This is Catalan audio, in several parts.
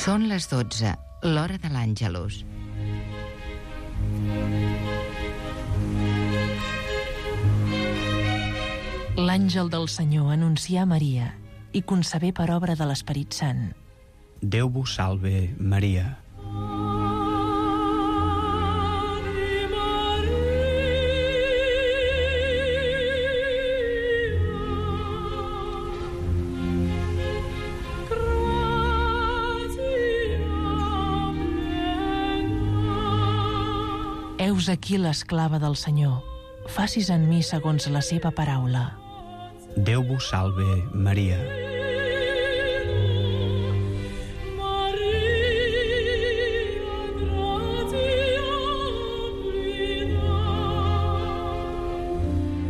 Són les 12, l'hora de l'Àngelus. L'àngel del Senyor anuncià a Maria i concebé per obra de l'Esperit Sant. Déu vos salve, Maria. Heus aquí l'esclava del Senyor. Facis en mi segons la seva paraula. Déu vos salve, Maria.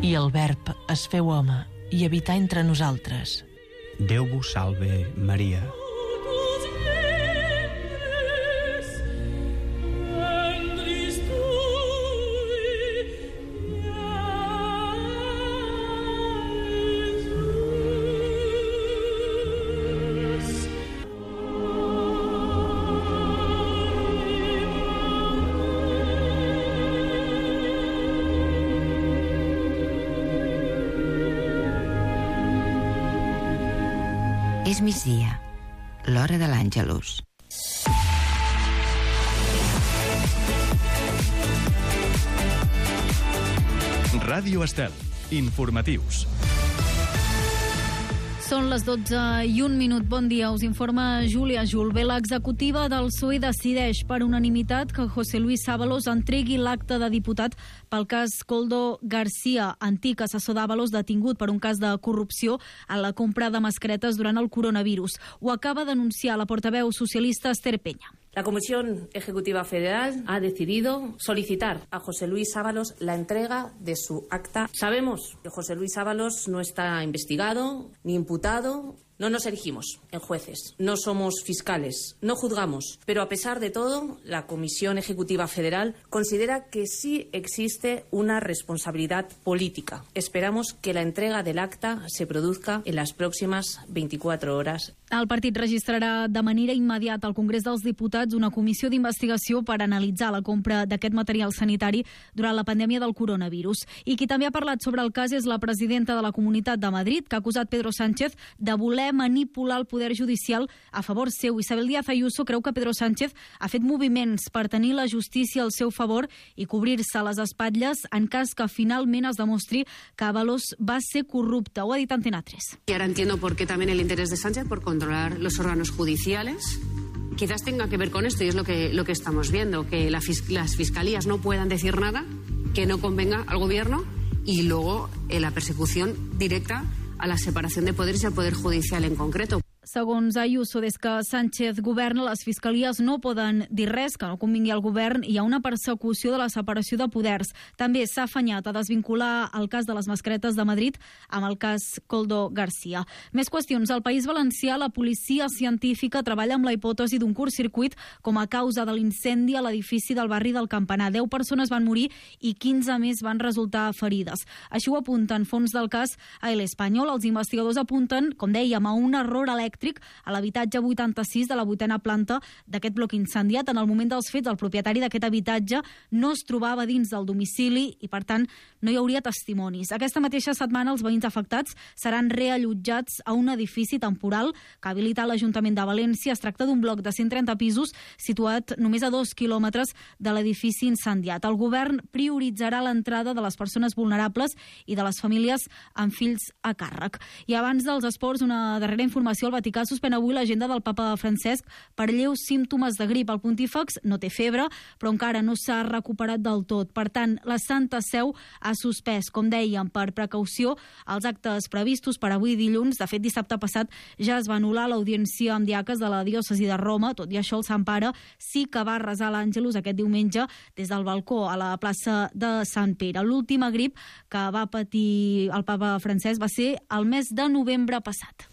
I el Verb es feu home i habità entre nosaltres. Déu vos salve, Maria. És migdia, l'hora de l'Àngelus. Ràdio Estel, informatius. Són les 12 i 1 minut. Bon dia, us informa Júlia Julve. L'executiva del PSOE decideix per unanimitat que José Luis Ábalos entregui l'acta de diputat pel cas Koldo García, antic assessor d'Ábalos detingut per un cas de corrupció en la compra de mascaretes durant el coronavirus. Ho acaba d'anunciar la portaveu socialista Esther Peña. La Comisión Ejecutiva Federal ha decidido solicitar a José Luis Ábalos la entrega de su acta. Sabemos que José Luis Ábalos no está investigado ni imputado. No nos erigimos en jueces, no somos fiscales, no juzgamos, pero a pesar de todo, la Comisión Ejecutiva Federal considera que sí existe una responsabilidad política. Esperamos que la entrega del acta se produzca en las próximas 24 horas. El partit registrarà de manera immediata al Congrés dels Diputats una comissió d'investigació per analitzar la compra d'aquest material sanitari durant la pandèmia del coronavirus. I qui també ha parlat sobre el cas és la presidenta de la Comunitat de Madrid, que ha acusat Pedro Sánchez de voler manipular el poder judicial a favor seu. Isabel Díaz Ayuso creu que Pedro Sánchez ha fet moviments per tenir la justícia al seu favor i cobrir-se les espatlles en cas que finalment es demostri que Ábalos va ser corrupte. Ho ha dit Antena 3. Y ahora entiendo por qué también el interés de Sánchez por controlar los órganos judiciales. Quizás tenga que ver con esto y es lo que estamos viendo, que las fiscalías no puedan decir nada que no convenga al gobierno y luego la persecución directa a la separación de poderes y al poder judicial en concreto. Segons Ayuso, des que Sánchez governa, les fiscalies no poden dir res que no convingui al govern i hi ha una persecució de la separació de poders. També s'ha afanyat a desvincular el cas de les mascaretes de Madrid amb el cas Koldo García. Més qüestions. Al País Valencià, la policia científica treballa amb la hipòtesi d'un curtcircuit com a causa de l'incendi a l'edifici del barri del Campanar. 10 persones van morir i 15 més van resultar ferides. Així ho apunten fons del cas a El Espanyol. Els investigadors apunten, com dèiem, a un error elèctric a l'habitatge 86 de la 8a planta d'aquest bloc incendiat. En el moment dels fets, el propietari d'aquest habitatge no es trobava dins del domicili i, per tant, no hi hauria testimonis. Aquesta mateixa setmana, els veïns afectats seran reallotjats a un edifici temporal que ha habilitat l'Ajuntament de València. Es tracta d'un bloc de 130 pisos situat només a 2 quilòmetres de l'edifici incendiat. El govern prioritzarà l'entrada de les persones vulnerables i de les famílies amb fills a càrrec. I abans dels esports, una darrera informació. El Vaticà suspèn avui l'agenda del papa Francesc per lleus símptomes de grip. El pontífex no té febre, però encara no s'ha recuperat del tot. Per tant, la Santa Seu ha suspès, com dèiem, per precaució, els actes previstos per avui dilluns. De fet, dissabte passat ja es va anul·lar l'audiència amb diaques de la diòcesi de Roma. Tot i això, el Sant Pare sí que va resar l'Àngelus aquest diumenge des del balcó a la plaça de Sant Pere. L'última grip que va patir el papa Francesc va ser el mes de novembre passat.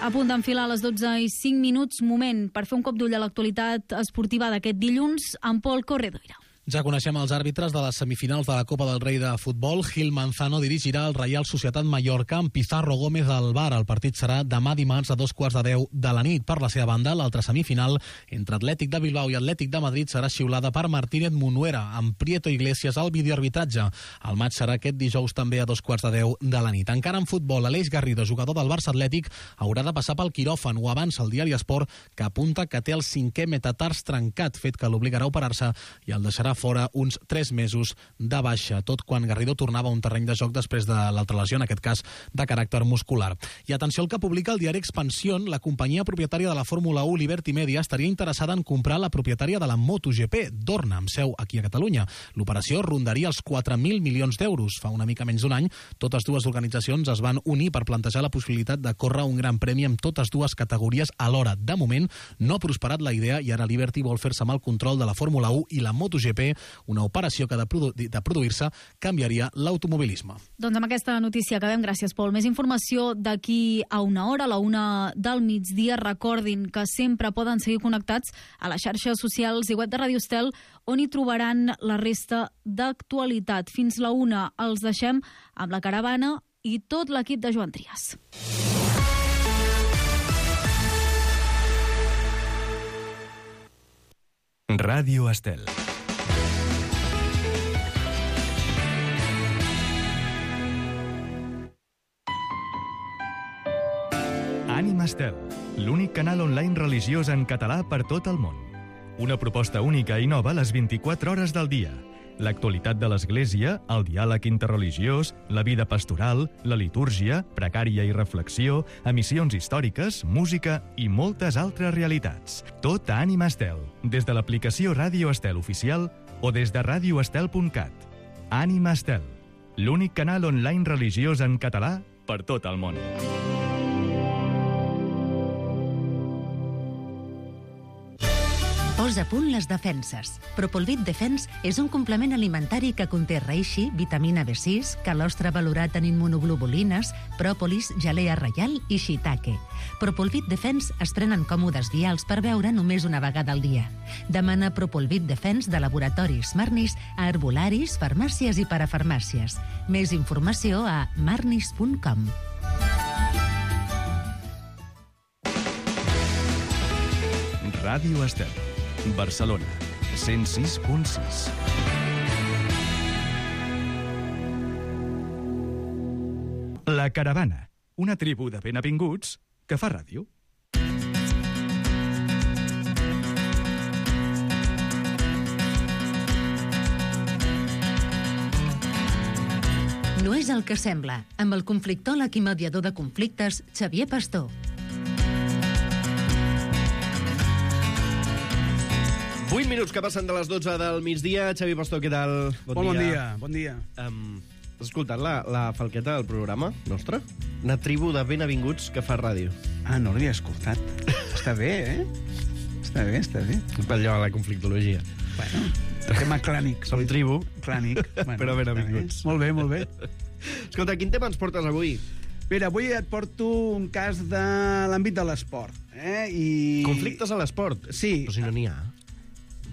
A punt d'enfilar a les 12:05, moment per fer un cop d'ull a l'actualitat esportiva d'aquest dilluns amb Pol Corredoira. Ja coneixem els àrbitres de les semifinals de la Copa del Rei de Futbol. Gil Manzano dirigirà el Reial Societat Mallorca amb Pizarro Gómez al VAR. El partit serà demà dimarts a 2:15 de la nit. Per la seva banda, l'altra semifinal entre Atlètic de Bilbao i Atlètic de Madrid serà xiulada per Martínez Munuera, amb Prieto Iglesias al videoarbitratge. El maig serà aquest dijous també a 2:15 de la nit. Encara en futbol, Aleix Garrido, jugador del Barça Atlètic, haurà de passar pel quiròfan. Ho avança el diari Esport, que apunta que té el 5è metatars trencat, fet que l'obligarà a operar-se i el deixarà fora uns 3 mesos de baixa, tot quan Garrido tornava a un terreny de joc després de l'altra lesió, en aquest cas de caràcter muscular. I atenció al que publica el diari Expansión, la companyia propietària de la Fórmula 1, Liberty Media, estaria interessada en comprar la propietària de la MotoGP, Dorna, amb seu aquí a Catalunya. L'operació rondaria els 4.000 milions d'euros. Fa una mica menys d'un any, totes dues organitzacions es van unir per plantejar la possibilitat de córrer un gran premi amb totes dues categories alhora. De moment, no ha prosperat la idea i ara Liberty vol fer-se amb el control de la Fórmula 1 i la MotoGP, una operació que de produir-se canviaria l'automobilisme. Doncs amb aquesta notícia acabem. Gràcies, Pol. Més informació d'aquí a una hora, a la 1 del migdia. Recordin que sempre poden seguir connectats a les xarxes socials i web de Ràdio Estel, on hi trobaran la resta d'actualitat. Fins la 1 els deixem amb la caravana i tot l'equip de Joan Trias. Ràdio Estel. Ànima Estel, l'únic canal online religiós en català per tot el món. Una proposta única i nova a les 24 hores del dia. L'actualitat de l'Església, el diàleg interreligiós, la vida pastoral, la litúrgia, pregària i reflexió, emissions històriques, música i moltes altres realitats. Tot a Ànima Estel, des de l'aplicació Ràdio Estel oficial o des de radioestel.cat. Ànima Estel, l'únic canal online religiós en català per tot el món. Posa a punt les defenses. Propolvit Defense és un complement alimentari que conté reishi, vitamina B6, calostre valorat en immunoglobulines, pròpolis, gelea reial i shiitake. Propolvit Defense es prenen còmodes vials per beure només una vegada al dia. Demana Propolvit Defense de laboratoris Marnis a herbolaris, farmàcies i parafarmàcies. Més informació a marnis.com. Ràdio Estel, Barcelona, 106.6. La Caravana, una tribu de benavinguts que fa ràdio. No és el que sembla, amb el conflictòleg i mediador de conflictes, Xavier Pastor. Vuit minuts que passen de les 12 del migdia. Xavi Pastor, què tal? Bon dia. Has escoltat la falqueta del programa nostre? Una tribu de benavinguts que fa ràdio. Ah, no l'havia escoltat. Està bé, eh? Està bé. Per allò a la conflictologia. Bueno, tema clànic. Som tribu. Clànic. Bueno, però benavinguts. Molt bé. Escolta, quin tema ens portes avui? Mira, avui et porto un cas de l'àmbit de l'esport. Conflictes a l'esport? Sí. Però si no n'hi ha.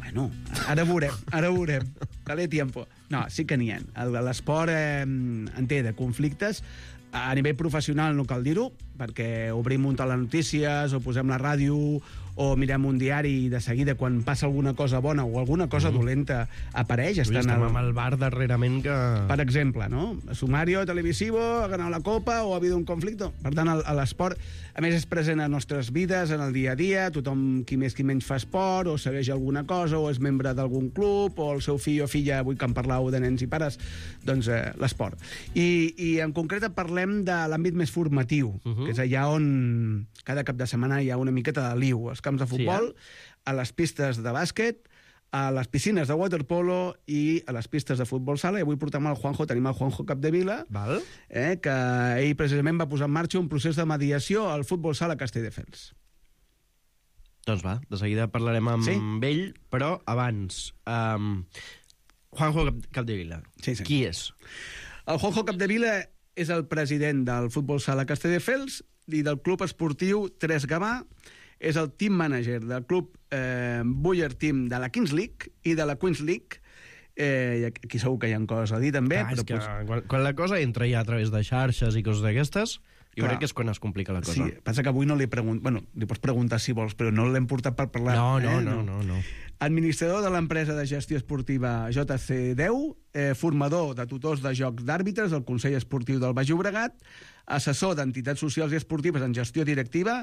Bueno, ara veurem. Dale tiempo. No, sí que n'hi ha. L'esport en té de conflictes. A nivell professional no cal dir-ho, perquè obrim un telenotícies o posem la ràdio o mirem un diari i de seguida quan passa alguna cosa bona o alguna cosa dolenta apareix. Estem amb el bar darrerament que... Per exemple, no? Sumario televisivo, ha ganat la copa o ha habido un conflicte. Per tant, l'esport, a més, és present a nostres vides, en el dia a dia. Tothom, qui més qui menys, fa esport o segueix alguna cosa o és membre d'algun club o el seu fill o filla, avui que en parlàveu de nens i pares, doncs l'esport. I en concret parlem de l'àmbit més formatiu, que és allà on cada cap de setmana hi ha una miqueta de liu. Als camps de futbol, a les pistes de bàsquet, a les piscines de waterpolo i a les pistes de futbol sala. I avui portem el Juanjo, tenim el Juanjo Capdevila, que ell precisament va posar en marxa un procés de mediació al futbol sala Castelldefels. Doncs va, de seguida parlarem amb ell, però abans... Juanjo Capdevila, qui és? El Juanjo Capdevila és el president del futbol sala Castelldefels i del club esportiu Tres Gavà. És el team manager del club Buller Team de la Kings League i de la Queens League I aquí segur que hi ha coses a dir també. Clar, però quan la cosa entra ja a través de xarxes i coses d'aquestes, jo crec que és quan es complica la cosa. Sí, passa que avui no li pregunto... Bueno, li pots preguntar si vols, però no l'hem portat per parlar. No. Administrador de l'empresa de gestió esportiva JC10, formador de tutors de jocs d'àrbitres del Consell Esportiu del Baix Llobregat, assessor d'entitats socials i esportives en gestió directiva,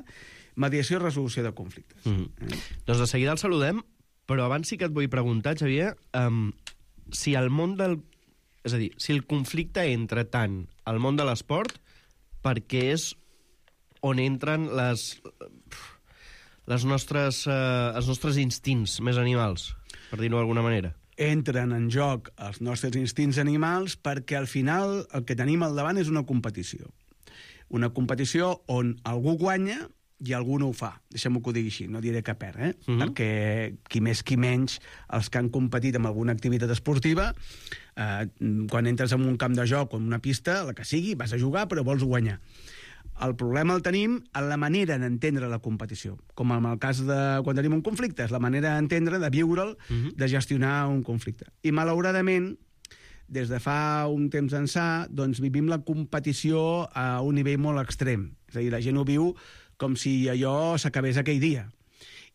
mediació i resolució de conflictes. Doncs de seguida el saludem, però abans sí que et vull preguntar, Xavier, si el món del... És a dir, si el conflicte entra tant al món de l'esport, perquè és on entren els nostres instints més animals, per dir-ho d'alguna manera. Entren en joc els nostres instints animals perquè al final el que tenim al davant és una competició. Una competició on algú guanya i algú no ho fa. Deixem-ho que ho digui així, no diré que perd, perquè qui més qui menys, els que han competit en alguna activitat esportiva, quan entres en un camp de joc o en una pista, la que sigui, vas a jugar però vols guanyar. El problema el tenim en la manera d'entendre la competició, com en el cas de quan tenim un conflicte, és la manera d'entendre, de viure'l, de gestionar un conflicte. I malauradament, des de fa un temps ençà, doncs vivim la competició a un nivell molt extrem. És a dir, la gent ho viu com si allò s'acabés aquell dia.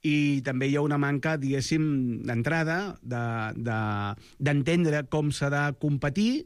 I també hi ha una manca, diguéssim, d'entrada, d'entendre com s'ha de competir,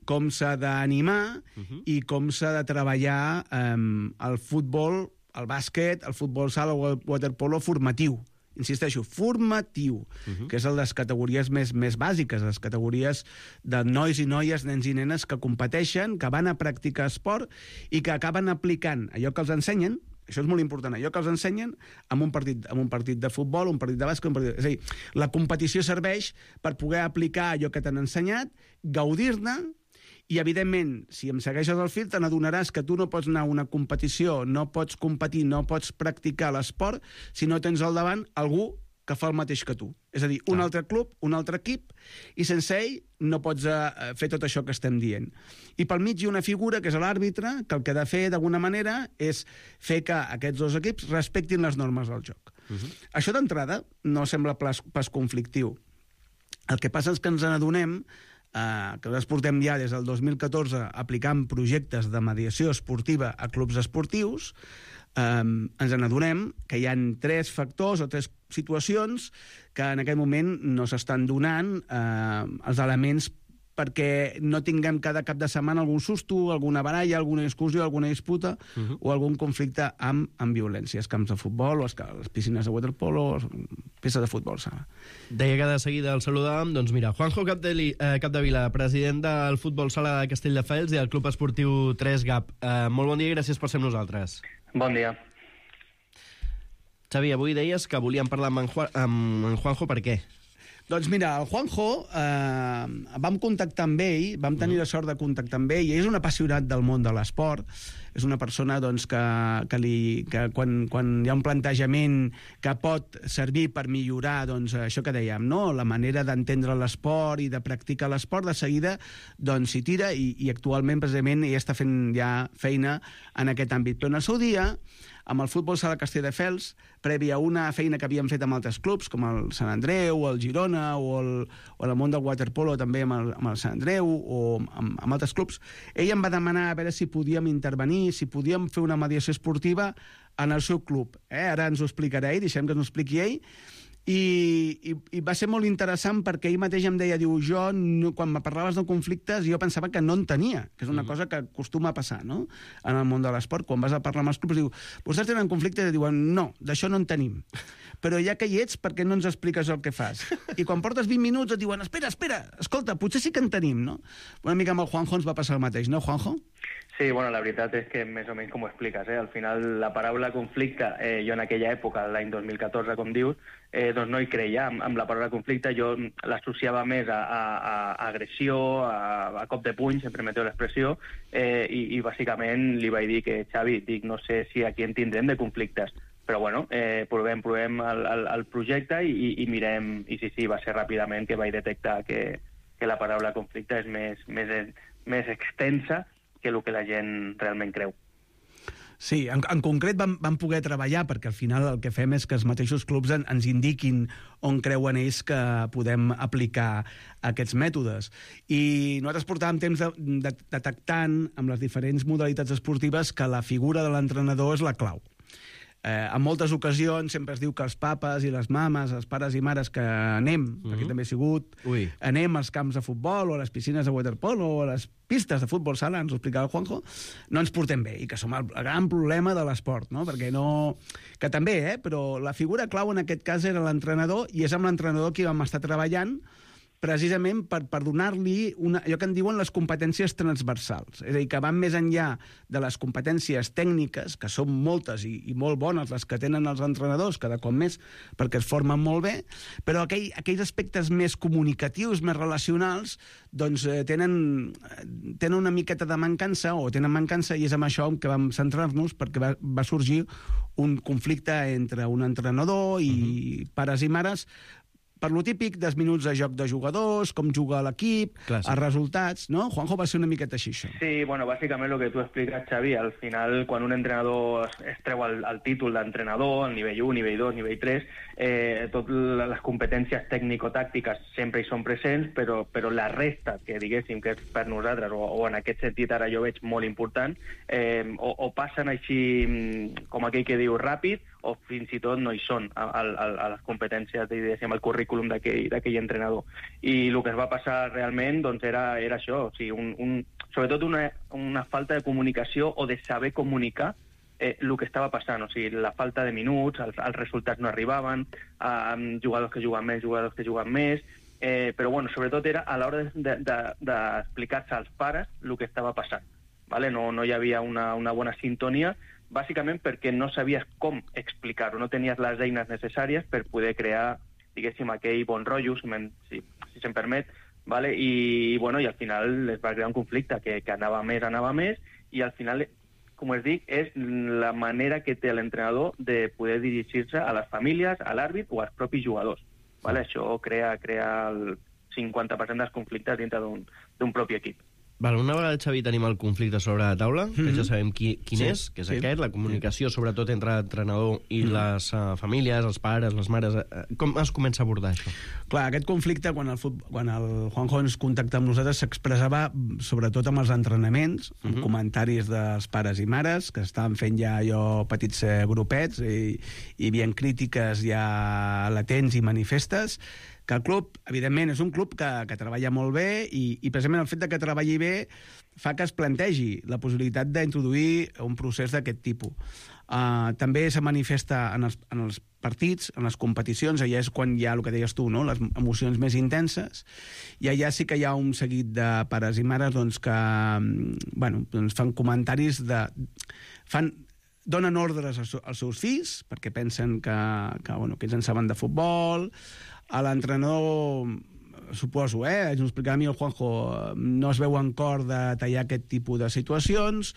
com s'ha d'animar i com s'ha de treballar el futbol, el bàsquet, el futbol sala o el waterpolo formatiu. Insisteixo, formatiu, que és el de les categories més bàsiques, les categories de nois i noies, nens i nenes que competeixen, que van a practicar esport i que acaben aplicant allò que els ensenyen. Això és molt important, allò que els ensenyen en un partit de futbol, un partit de bàsquet, és a dir, la competició serveix per poder aplicar allò que t'han ensenyat, gaudir-ne, i, evidentment, si em segueixes el fil, te n'adonaràs que tu no pots anar a una competició, no pots competir, no pots practicar l'esport si no tens al davant algú que fa el mateix que tu. És a dir, un altre club, un altre equip, i sense ell no pots fer tot això que estem dient. I pel mig hi ha una figura, que és l'àrbitre, que el que ha de fer, d'alguna manera, és fer que aquests dos equips respectin les normes del joc. Això d'entrada no sembla pas conflictiu. El que passa és que ens n'adonem que nosaltres portem ja des del 2014 aplicant projectes de mediació esportiva a clubs esportius, ens n'adonem que hi ha 3 factors o 3 situacions que en aquest moment no s'estan donant els elements perquè no tinguem cada cap de setmana algun susto, alguna baralla, alguna discussió, alguna disputa o algun conflicte amb violències, camps de futbol, o les piscines de waterpolo, pistes de futbol sala. Deia que de seguida el saludàvem, doncs mira, Juanjo Capdevila, president del futbol sala de Castelldefels i del Club Esportiu 3GAP. Molt bon dia i gràcies per ser amb nosaltres. Bon dia. Xavi, avui deies que volíem parlar amb en Juanjo, per què? Doncs mira, el Juanjo, vam contactar amb ell, vam tenir la sort de contactar amb ell, i és un apassionat del món de l'esport, és una persona doncs, que quan hi ha un plantejament que pot servir per millorar doncs, això que dèiem, no? La manera d'entendre l'esport i de practicar l'esport, de seguida doncs, s'hi tira i actualment precisament ell està fent ja feina en aquest àmbit. Però en el seu dia, amb el futbol sala Castelldefels, previ a una feina que havíem fet amb altres clubs, com el Sant Andreu, el Girona, o el món del waterpolo també amb el Sant Andreu, o amb altres clubs, ell em va demanar a veure si podíem intervenir, si podíem fer una mediació esportiva en el seu club. Ara ens ho explicarà ell, deixem que ens ho expliqui ell, i va ser molt interessant perquè ell mateix em deia, diu, jo, quan me parlaves de conflictes, jo pensava que no en tenia, que és una cosa que acostuma a passar, no?, en el món de l'esport. Quan vas a parlar amb els clubs, diu, vostès tenen conflictes? I diuen, no, d'això no en tenim. Però ja que hi ets, per què no ens expliques el que fas? I quan portes 20 minuts et diuen, espera, escolta, potser sí que en tenim, no? Una mica amb el Juanjo ens va passar el mateix, no, Juanjo? Sí, bueno, la veritat és que més o menys com ho expliques, Al final, la paraula conflicte, jo en aquella època, l'any 2014, com dius, doncs no hi creia amb la paraula conflicte, jo l'associava més a agressió, a cop de puny, si em permeteu l'expressió, i bàsicament li vaig dir que, Xavi, dic, no sé si aquí en tindrem de conflictes, però bueno, provem el projecte i mirem, i sí, va ser ràpidament que vaig detectar que la paraula conflicte és més extensa que el que la gent realment creu. Sí, en concret vam poder treballar, perquè al final el que fem és que els mateixos clubs ens indiquin on creuen ells que podem aplicar aquests mètodes. I nosaltres portàvem temps detectant amb les diferents modalitats esportives que la figura de l'entrenador és la clau. En moltes ocasions sempre es diu que els papes i les mames, els pares i mares que anem, perquè també he sigut, anem als camps de futbol o a les piscines de waterpolo o a les pistes de futbol sala, ens ho explicava el Juanjo, no ens portem bé i que som el gran problema de l'esport, no? Perquè no... Que també, però la figura clau en aquest cas era l'entrenador i és amb l'entrenador que vam estar treballant precisament per donar-li allò que en diuen les competències transversals. És a dir, que van més enllà de les competències tècniques, que són moltes i molt bones les que tenen els entrenadors, cada cop més, perquè es formen molt bé, però aquells aspectes més comunicatius, més relacionals, doncs tenen una miqueta de mancança, o tenen mancança, i és amb això que vam centrar-nos, perquè va sorgir un conflicte entre un entrenador i pares i mares, per lo típic dels minuts de joc de jugadors, com juga l'equip, els resultats, no? Juanjo, va ser una miqueta així, això. Sí, bueno, bàsicament el que tu expliques, Xavi, al final, quan un entrenador es treu el títol d'entrenador, el nivell 1, nivell 2, nivell 3, totes les competències tècnico-tàctiques sempre hi són presents, però la resta, que diguéssim que és per nosaltres, o en aquest sentit ara jo veig molt important, o passen així, com aquell que diu, ràpid, o fins i tot no hi són a les competències, diguéssim, al currículum d'aquell entrenador. I el que es va passar realment doncs, era això, o sigui, sobretot una falta de comunicació o de saber comunicar el que estava passant, o sigui, la falta de minuts, els resultats no arribaven, jugadors que juguen més, jugadors que juguen més, però bueno, sobretot era a l'hora d'explicar-se als pares el que estava passant. ¿Vale? No hi havia una bona sintonia, bàsicament perquè no sabies com explicar-ho, no tenies les eines necessàries per poder crear, diguéssim, aquell bon rotllo, si se'm permet, ¿vale? I al final es va crear un conflicte que anava més, i al final, com us dic, és la manera que té l'entrenador de poder dirigir-se a les famílies, a l'àrbit o als propis jugadors. ¿Vale? Això crea el 50% dels conflictes dintre d'un propi equip. Val, una vegada, Xavi, tenim el conflicte sobre la taula, que ja sabem quin és, que és aquest, la comunicació, sobretot entre l'entrenador i les famílies, els pares, les mares. Com es comença a abordar això? Clar, aquest conflicte, quan el Juanjo ens contacta amb nosaltres, s'expressava sobretot amb els entrenaments, amb comentaris dels pares i mares, que estaven fent ja allò petits grupets, i hi havia crítiques ja latents i manifestes, que el club, evidentment, és un club que treballa molt bé i precisament el fet de que treballi bé fa que es plantegi la possibilitat d'introduir un procés d'aquest tipus. També se manifesta en els partits, en les competicions, allà és quan hi ha el que deies tu, no? Les emocions més intenses, i allà sí que hi ha un seguit de pares i mares que fan comentaris donen ordres als seus fills perquè pensen que ells en saben de futbol. A l'entrenador, suposo, ens ho explicava a mi el Juanjo, no es veu en cor de tallar aquest tipus de situacions.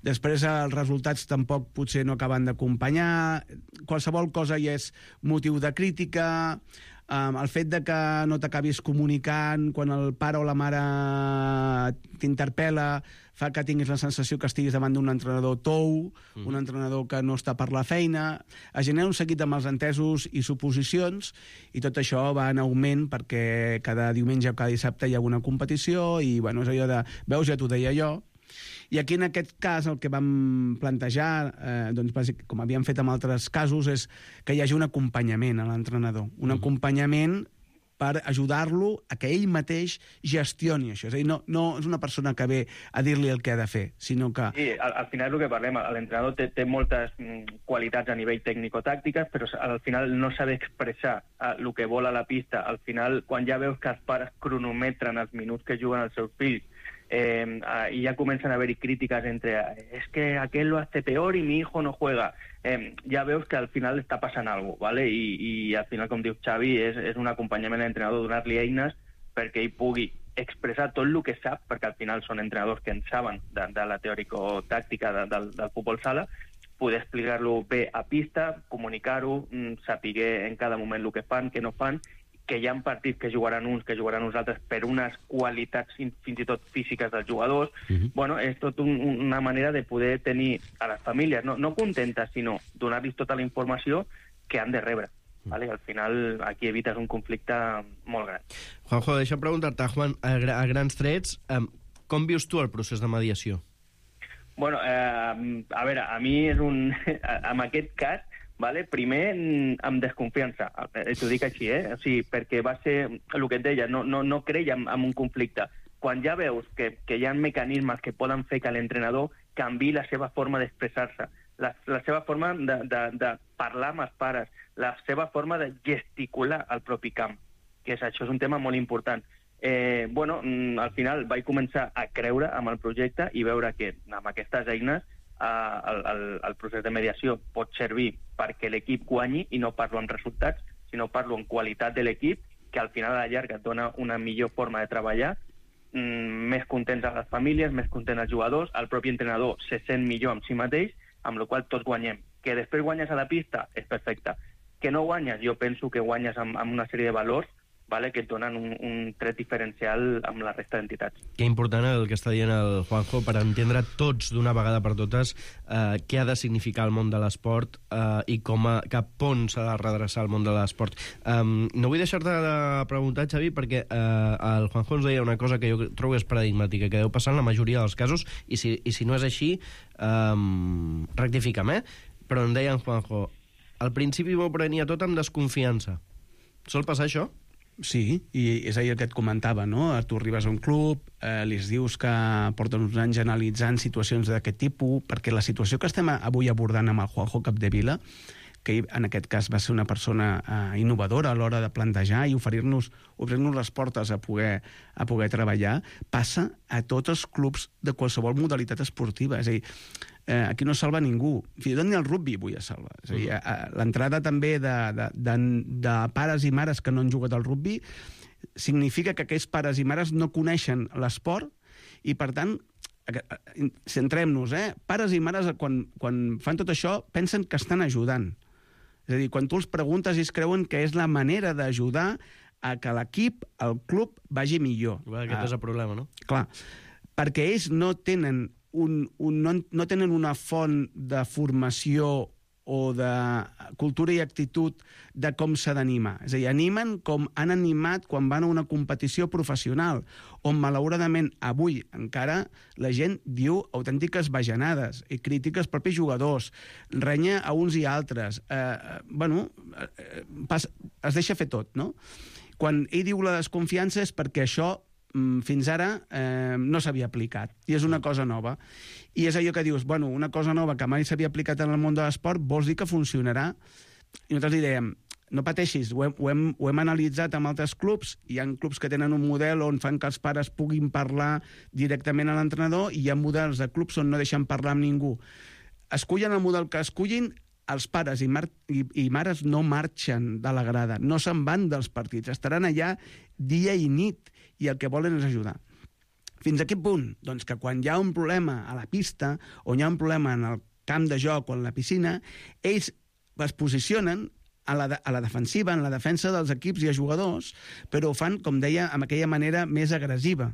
Després els resultats tampoc potser no acaben d'acompanyar. Qualsevol cosa ja és motiu de crítica. El fet de que no t'acabis comunicant quan el pare o la mare t'interpel·la fa que tinguis la sensació que estiguis davant d'un entrenador tou, un entrenador que no està per la feina. Es genera un seguit de malentesos i suposicions, i tot això va en augment perquè cada diumenge o cada dissabte hi ha una competició i és allò de, veus, ja t'ho deia jo. I aquí, en aquest cas, el que vam plantejar, com havíem fet en altres casos, és que hi hagi un acompanyament a l'entrenador. Un acompanyament per ajudar-lo a que ell mateix gestioni això. És a dir, no és una persona que ve a dir-li el que ha de fer, sinó que... Sí, al final el que parlem, l'entrenador té moltes qualitats a nivell tècnico-tàctiques, però al final no sabe expressar el que vol a la pista. Al final, quan ja veus que els pares cronometren els minuts que juguen els seus fills, y ya comienzan a haber críticas entre es que aquel lo hace peor y mi hijo no juega, ya veus que al final està passant alguna cosa, ¿vale? I al final, com diu Xavi, és un acompanyament a l'entrenador, donar-li eines perquè ell pugui expressar tot el que sap, perquè al final són entrenadors que en saben de la teòrico-tàctica del futbol sala, poder explicar-lo bé a pista, comunicar-ho, saber en cada moment el que fan, què no fan, que hi ha partits que jugaran uns, que jugaran uns altres, per unes qualitats fins i tot físiques dels jugadors. Bueno, és tot una manera de poder tenir a les famílies, no contentes, sinó donar-los tota la informació que han de rebre. Vale? Al final, aquí evites un conflicte molt gran. Juanjo, deixa'm preguntar-te, Juan, a grans trets, com vius tu el procés de mediació? Bueno, a veure, a mi és un... en aquest cas, vale? Primer, amb desconfiança, t'ho dic així, o sigui, perquè va ser el que et deia, no creia en un conflicte. Quan ja veus que hi ha mecanismes que poden fer que l'entrenador canviï la seva forma d'expressar-se, la seva forma de parlar amb els pares, la seva forma de gesticular al propi camp, que això és un tema molt important. Bueno, al final vaig començar a creure amb el projecte i veure que amb aquestes eines el procés de mediació pot servir perquè l'equip guanyi, i no parlo en resultats, sinó parlo en qualitat de l'equip, que al final a la llarga et dona una millor forma de treballar, més contents a les famílies, més contents als jugadors, el propi entrenador se sent millor amb si mateix, amb la qual tots guanyem. Que després guanyes a la pista és perfecte. Que no guanyes, jo penso que guanyes amb una sèrie de valors, vale, que et donen un tret diferencial amb la resta d'entitats. Que important el que està dient el Juanjo per entendre tots d'una vegada per totes què ha de significar el món de l'esport i cap on s'ha de redreçar el món de l'esport. No vull deixar-te de preguntar, Xavi, perquè el Juanjo ens deia una cosa que jo trobo és paradigmàtica, que deu passar en la majoria dels casos, i si no és així, rectifica'm, però em deia en Juanjo, al principi m'ho prenia tot amb desconfiança. Sol passar això? Sí, i és ahir el que et comentava, no? Tu arribes a un club, li dius que porten uns anys analitzant situacions d'aquest tipus, perquè la situació que estem avui abordant amb el Juanjo Capdevila, que en aquest cas va ser una persona innovadora a l'hora de plantejar i obrir-nos les portes a poder treballar, passa a tots els clubs de qualsevol modalitat esportiva. És a dir, aquí no salva ningú. Fins i tot ni el rugby vull salvar. És a dir, l'entrada també de pares i mares que no han jugat al rugby significa que aquests pares i mares no coneixen l'esport i, per tant, centrem-nos, pares i mares, quan fan tot això, pensen que estan ajudant. És a dir, quan tu els preguntes, ells creuen que és la manera d'ajudar a que l'equip, el club, vagi millor. Aquest és el problema, no? Clar, perquè ells no tenen una font de formació o de cultura i actitud de com s'ha d'animar. És a dir, animen com han animat quan van a una competició professional, on malauradament avui encara la gent diu autèntiques bajanades i crítiques als propis jugadors, renya a uns i altres. Es deixa fer tot, no? Quan ell diu la desconfiança és perquè això fins ara no s'havia aplicat, i és una cosa nova. I és allò que dius, una cosa nova que mai s'havia aplicat en el món de l'esport, vols dir que funcionarà? I nosaltres li dèiem, no pateixis, ho hem analitzat amb altres clubs, hi ha clubs que tenen un model on fan que els pares puguin parlar directament a l'entrenador, i hi ha models de clubs on no deixen parlar amb ningú. Escullen el model que escullin, els pares i mares no marxen de la grada, no se'n van dels partits, estaran allà dia i nit, i el que volen és ajudar. Fins a quin punt? Doncs que quan hi ha un problema a la pista, o hi ha un problema en el camp de joc o en la piscina, ells es posicionen a la defensiva, en la defensa dels equips i els jugadors, però ho fan, com deia, amb aquella manera més agressiva.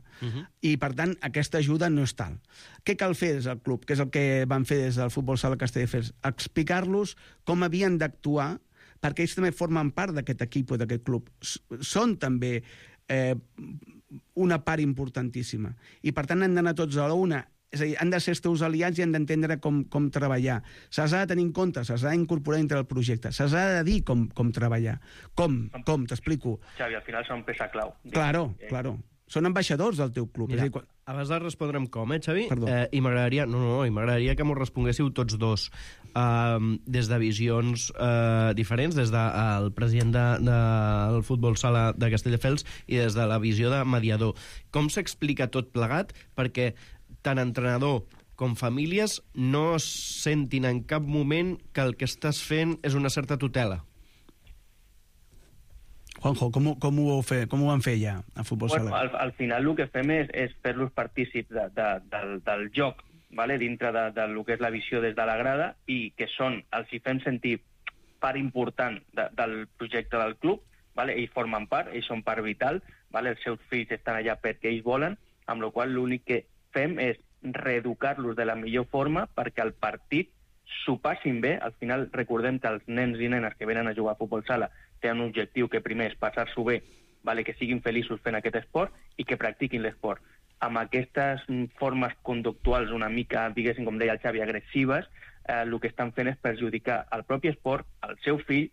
I, per tant, aquesta ajuda no és tal. Què cal fer des del club? Que és el que van fer des del Futbol Sala Castelldefels? Explicar-los com havien d'actuar, perquè ells també formen part d'aquest equip o d'aquest club. Són també una part importantíssima. I, per tant, han d'anar tots a la una. És a dir, han de ser els teus aliats i han d'entendre com treballar. Se'ls ha de tenir en compte, se'ls ha d'incorporar dintre del projecte, se'ls ha de dir com treballar. Com? T'explico. Xavi, al final són peça clau. Claro. Són ambaixadors del teu club. Mira, abans de respondre'm com, Xavi? Perdó. I m'agradaria que m'ho responguéssiu tots dos. Des de visions diferents, des del president del Futbol Sala de Castelldefels i des de la visió de mediador. Com s'explica tot plegat perquè tant entrenador com famílies no sentin en cap moment que el que estàs fent és una certa tutela? Juanjo, com ho van fer ja a Futbol Sala? Al final el que fem és fer-los partícips del joc, vale? Dintre del que és la visió des de la grada, i que els hi fem sentir part important del projecte del club, vale? Ells formen part, ells són part vital, vale? Els seus fills estan allà perquè ells volen, amb la qual l'únic que fem és reeducar-los de la millor forma perquè el partit s'ho passin bé. Al final recordem que els nens i nenes que venen a jugar a futbol sala tenen un objectiu que primer és passar-s'ho bé, vale? Que siguin feliços fent aquest esport i que practiquin l'esport. Amb aquestes formes conductuals una mica, diguéssim, com deia el Xavi, agressives, el que estan fent és perjudicar el propi esport, el seu fill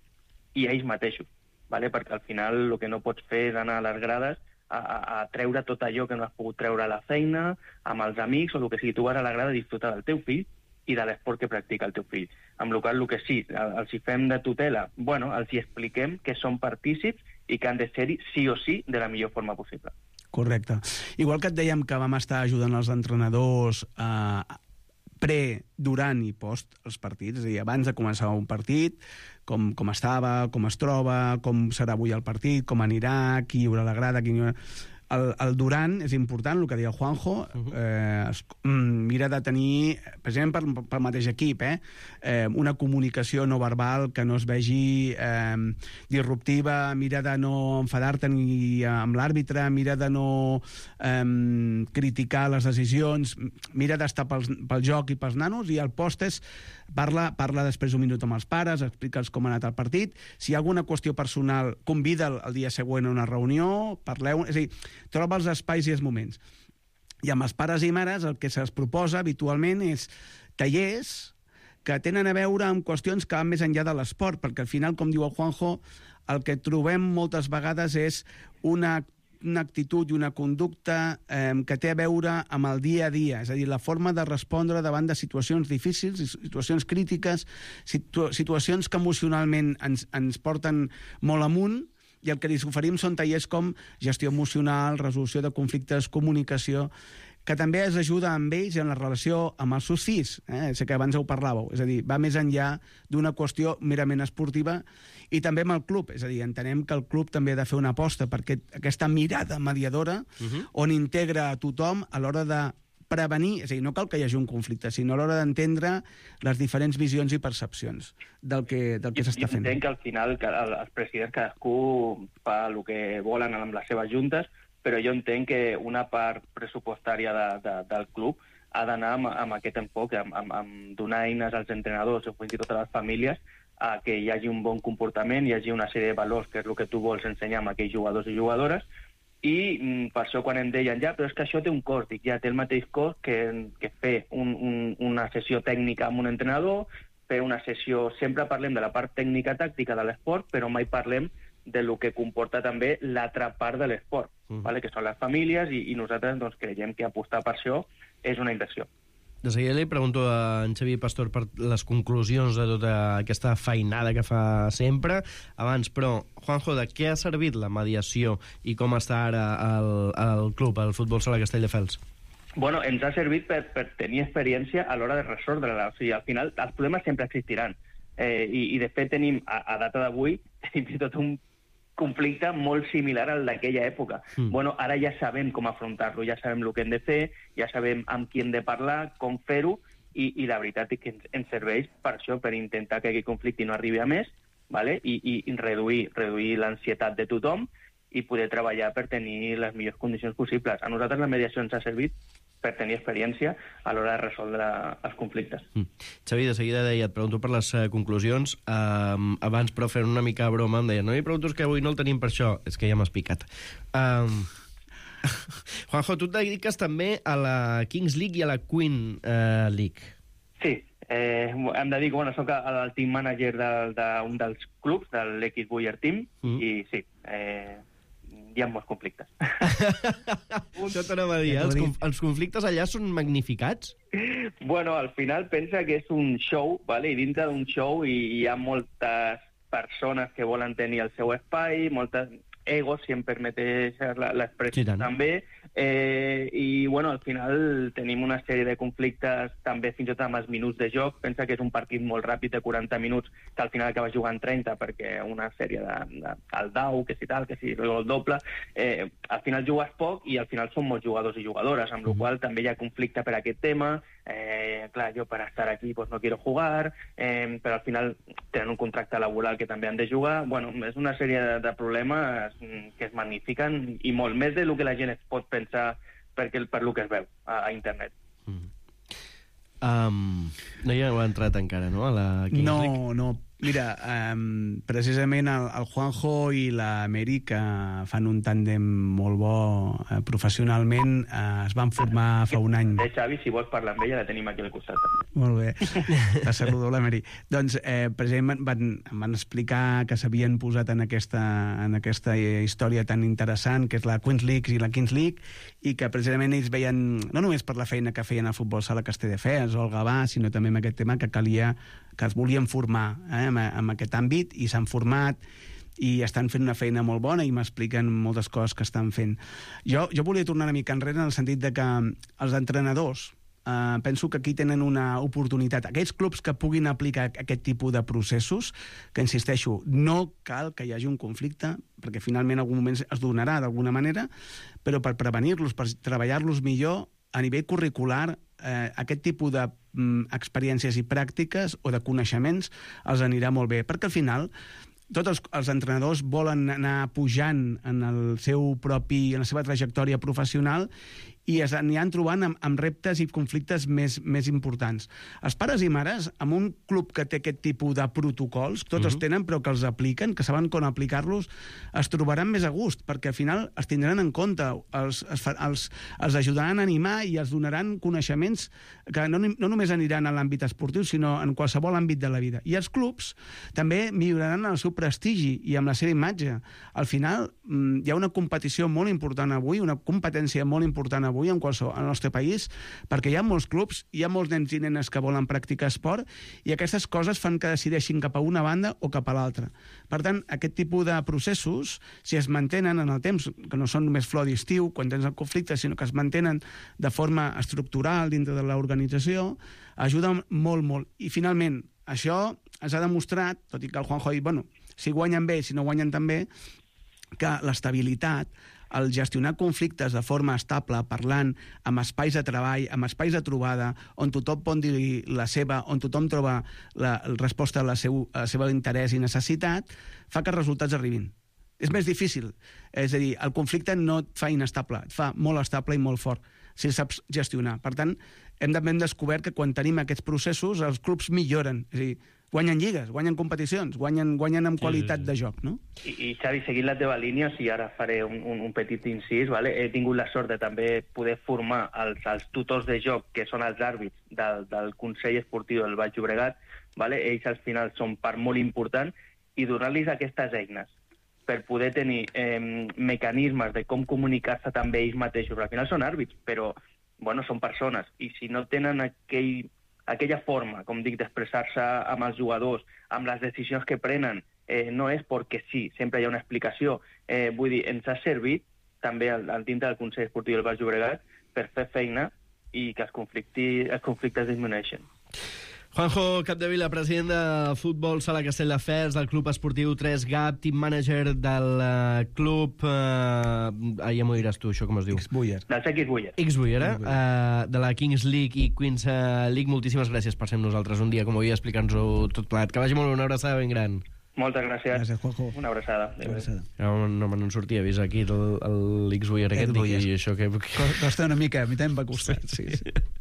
i ells mateixos, vale? Perquè al final el que no pots fer és anar a les grades a treure tot allò que no has pogut treure a la feina, amb els amics, o el que sigui. Tu vas a la grada a disfrutar del teu fill i de l'esport que practica el teu fill. Amb la qual cosa, el que sí, els hi fem de tutela, bueno, els hi expliquem que són partícips i que han de ser-hi sí o sí de la millor forma possible. Correcte. Igual que et dèiem que vam estar ajudant els entrenadors pre, durant i post els partits, és a dir, abans de començar un partit, com estava, com es troba, com serà avui el partit, com anirà, qui hi haurà la grada, qui hi haurà... El durant és important, el que deia el Juanjo, mira de tenir, precisament pel mateix equip, una comunicació no verbal que no es vegi disruptiva, mira de no enfadar-te ni amb l'àrbitre, mira de no criticar les decisions, mira d'estar pel joc i pels nanos, i el post és parla després un minut amb els pares, explica'ls com ha anat el partit, si hi ha alguna qüestió personal, convida'l el dia següent a una reunió, parleu, és a dir, troba els espais i els moments. I amb els pares i mares el que se'ls proposa habitualment és tallers que tenen a veure amb qüestions que van més enllà de l'esport, perquè al final, com diu el Juanjo, el que trobem moltes vegades és una actitud i una conducta que té a veure amb el dia a dia, és a dir, la forma de respondre davant de situacions difícils, situacions crítiques, situacions que emocionalment ens porten molt amunt, i el que li oferim són tallers com gestió emocional, resolució de conflictes, comunicació, que també es ajuda amb ells en la relació amb els seus fills, sé que abans ho parlàveu, és a dir, va més enllà d'una qüestió merament esportiva, i també amb el club, és a dir, entenem que el club també ha de fer una aposta per aquesta mirada mediadora on integra a tothom a l'hora de prevenir, és a dir, no cal que hi hagi un conflicte, sinó a l'hora d'entendre les diferents visions i percepcions del que s'està fent. Entenc que al final els presidents cadascú fa el que volen amb les seves juntes, però jo entenc que una part pressupostària del club ha d'anar amb aquest enfoc, amb donar eines als entrenadors o fins i tot a les famílies a que hi hagi un bon comportament, hi hagi una sèrie de valors, que és el que tu vols ensenyar a aquells jugadors i jugadores, i per això quan em deien, ja, però és que això té un cost, dic, ja, té el mateix cost que fer una sessió tècnica amb un entrenador, fer una sessió... Sempre parlem de la part tècnica-tàctica de l'esport, però mai parlem de lo que comporta també l'altra part de l'esport, vale? Que són les famílies, i nosaltres doncs, creiem que apostar per això és una inversió. De seguida li pregunto a en Xavi Pastor per les conclusions de tota aquesta feinada que fa sempre. Abans, però, Juanjo, de què ha servit la mediació i com està ara el club, el Futbol Sala Castelldefels? Bueno, ens ha servit per tenir experiència a l'hora de resoldre-la. O sigui, al final, els problemes sempre existiran. I de fet, tenim, a data d'avui, fins i tot un conflicte molt similar al d'aquella època. Bueno, ara ja sabem com afrontar-lo, ja sabem el que hem de fer, ja sabem amb qui hem de parlar, com fer-ho, i la veritat és que ens serveix per això, per intentar que aquest conflicte no arribi a més, vale? I reduir l'ansietat de tothom i poder treballar per tenir les millors condicions possibles. A nosaltres la mediació ens ha servit per tenir experiència a l'hora de resoldre els conflictes. Xavi, de seguida deia, et pregunto per les conclusions. Abans, però, fent una mica broma, em deia, no li pregunto que avui no el tenim per això. És que ja m'has picat. Juanjo, tu et dediques també a la Kings League i a la Queen League. Sí, em dedico, soc el team manager d'un dels clubs, de l'X Buyer Team, i sí, hi ha molts conflictes. Això t'anava a dir, els conflictes allà són magnificats? Bueno, al final pensa que és un show, vale? I dintre d'un show hi ha moltes persones que volen tenir el seu espai, moltes egos, si em permeteix l'expressió, sí, també, i bueno, al final tenim una sèrie de conflictes també fins i tot amb els minuts de joc. Pensa que és un partit molt ràpid de 40 minuts que al final acaba jugant 30 perquè una sèrie el dau, que si tal, que si el doble, al final jugues poc i al final són molts jugadors i jugadores, amb la qual cosa també hi ha conflicte per aquest tema. Clar, jo per estar aquí pues, no quiero jugar, però al final tenen un contracte laboral que també han de jugar. Bueno, és una sèrie de problemes que es magnifiquen i molt més del que la gent es pot pensar per lo que es veu a internet. No hi heu entrat encara, no? A la Kings League? No. Mira, precisament el Juanjo i l'Amèric, que fan un tàndem molt bo professionalment, es van formar fa un any. Xavi, si vols parlar amb ella, la tenim aquí al costat. Molt bé, va ser rodó l'Amèric. Doncs, precisament, em van explicar que s'havien posat en aquesta història tan interessant, que és la Queens League i la Kings League, i que precisament ells veien, no només per la feina que feien al futbol sala Castelldefels o al Gavà, sinó també amb aquest tema que calia, que es volien formar en aquest àmbit, i s'han format i estan fent una feina molt bona i m'expliquen moltes coses que estan fent. Jo volia tornar una mica enrere en el sentit de que els entrenadors penso que aquí tenen una oportunitat. Aquells clubs que puguin aplicar aquest tipus de processos, que insisteixo, no cal que hi hagi un conflicte, perquè finalment en algun moment es donarà d'alguna manera, però per prevenir-los, per treballar-los millor a nivell curricular, aquest tipus d'experiències i pràctiques o de coneixements els anirà molt bé, perquè al final tots els entrenadors volen anar pujant en la seva trajectòria professional i aniran trobant amb reptes i conflictes més importants. Els pares i mares, amb un club que té aquest tipus de protocols, tots els tenen, però que els apliquen, que saben com aplicar-los, es trobaran més a gust, perquè al final els tindran en compte, els ajudaran a animar i els donaran coneixements que no només aniran a l'àmbit esportiu, sinó en qualsevol àmbit de la vida. I els clubs també milloraran el seu prestigi i amb la seva imatge. Al final hi ha una competició molt important avui, una competència molt important avui al nostre país, perquè hi ha molts clubs, hi ha molts nens i nenes que volen practicar esport, i aquestes coses fan que decideixin cap a una banda o cap a l'altra. Per tant, aquest tipus de processos, si es mantenen en el temps, que no són només flor d'estiu, quan tens el conflicte, sinó que es mantenen de forma estructural dintre de l'organització, ajuden molt, molt. I finalment, això ens ha demostrat, tot i que el Juanjo ha dit, bueno, si guanyen bé, si no guanyen tan bé, que l'estabilitat, el gestionar conflictes de forma estable, parlant amb espais de treball, amb espais de trobada, on tothom pot dir la seva, on tothom troba la resposta a la seva interès i necessitat, fa que els resultats arribin. És més difícil. És a dir, el conflicte no et fa inestable, et fa molt estable i molt fort, si el saps gestionar. Per tant, hem descobert que quan tenim aquests processos, els clubs milloren. És a dir, guanyen lligues, guanyen competicions, guanyen amb qualitat de joc, no? I Xavi, seguint la teva línia, si ara faré un petit incís, vale? He tingut la sort de també poder formar els tutors de joc, que són els àrbits del Consell Esportiu del Baix Llobregat, vale? Ells al final són part molt important, i donar-los aquestes eines per poder tenir mecanismes de com comunicar-se també ells mateixos. Al final són àrbits, però bueno, són persones, i si no tenen aquella forma, com dic, d'expressar-se amb els jugadors, amb les decisions que prenen, no és perquè sí, sempre hi ha una explicació. Vull dir, ens ha servit també al dintre del Consell Esportiu del Baix Llobregat per fer feina i que els conflictes disminueixen. Juanjo Capdevila, president de Futbol Sala Castelldefels, del Club Esportiu 3GAP, team manager del club... ja m'ho diràs tu, això com es diu? X-Buyer. Dels X-Buyer. X-Buyer, de la Kings League i Queens League. Moltíssimes gràcies per ser amb nosaltres un dia, com avui, explicar-nos-ho tot plegat. Que vagi molt bé, una abraçada ben gran. Moltes gràcies. Gràcies, Juanjo. Una abraçada. No me'n sortia, vist aquí l'X-Buyer aquest, i això que... Costa una mica, a mi també em va costar. Sí.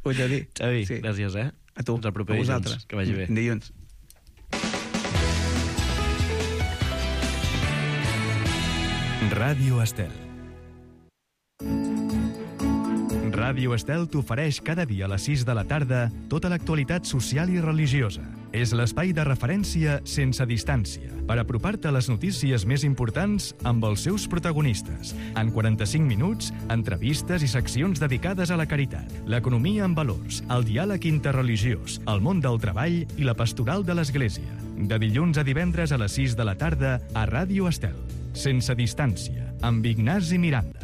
Ho he de dir. Xavi, gràcies, A tu, a vosaltres. Que vagi bé. Dilluns. Ràdio Estel. Ràdio Estel t'ofereix cada dia a les 6 de la tarda tota l'actualitat social i religiosa. És l'espai de referència sense distància per apropar-te a les notícies més importants amb els seus protagonistes. En 45 minuts, entrevistes i seccions dedicades a la caritat, l'economia en valors, el diàleg interreligiós, el món del treball i la pastoral de l'Església. De dilluns a divendres a les 6 de la tarda a Ràdio Estel. Sense distància, amb Ignasi Miranda.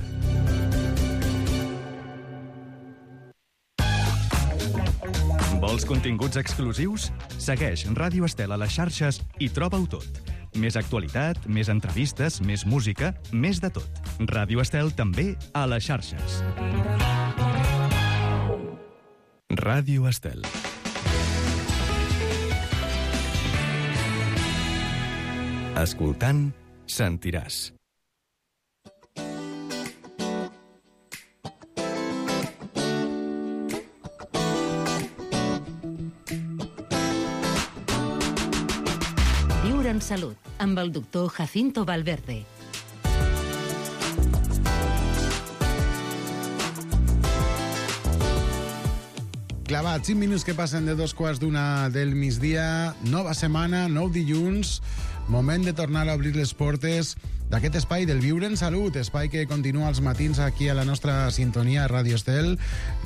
Vols continguts exclusius? Segueix Ràdio Estel a les xarxes i troba-ho tot. Més actualitat, més entrevistes, més música, més de tot. Ràdio Estel també a les xarxes. Ràdio Estel. Escoltant, sentiràs. Viure en salut, amb el doctor Jacinto Valverde. Clavat, 5 minuts que passen de 2:15 del migdia, nova setmana, nou dilluns, moment de tornar a obrir les portes d'aquest espai del Viure en Salut, espai que continua els matins aquí a la nostra sintonia a Ràdio Estel,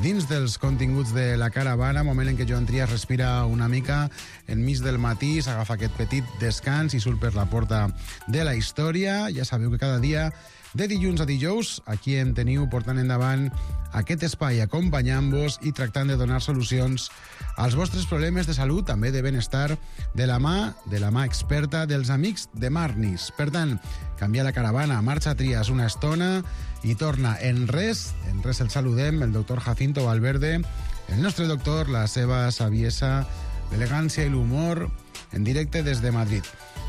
dins dels continguts de la caravana, moment en què Joan Trias respira una mica enmig del matí, s'agafa aquest petit descans i surt per la porta de la història. Ja sabeu que cada dia, de dilluns a dijous, aquí em teniu portant endavant aquest espai, acompanyant-vos i tractant de donar solucions als vostres problemes de salut, també de benestar, de la mà experta dels amics de Marnis. Per tant, canvia la caravana, marxa Trias una estona i torna en res el saludem, el doctor Jacinto Valverde, el nostre doctor, la seva saviesa, l'elegància i l'humor, en directe des de Madrid.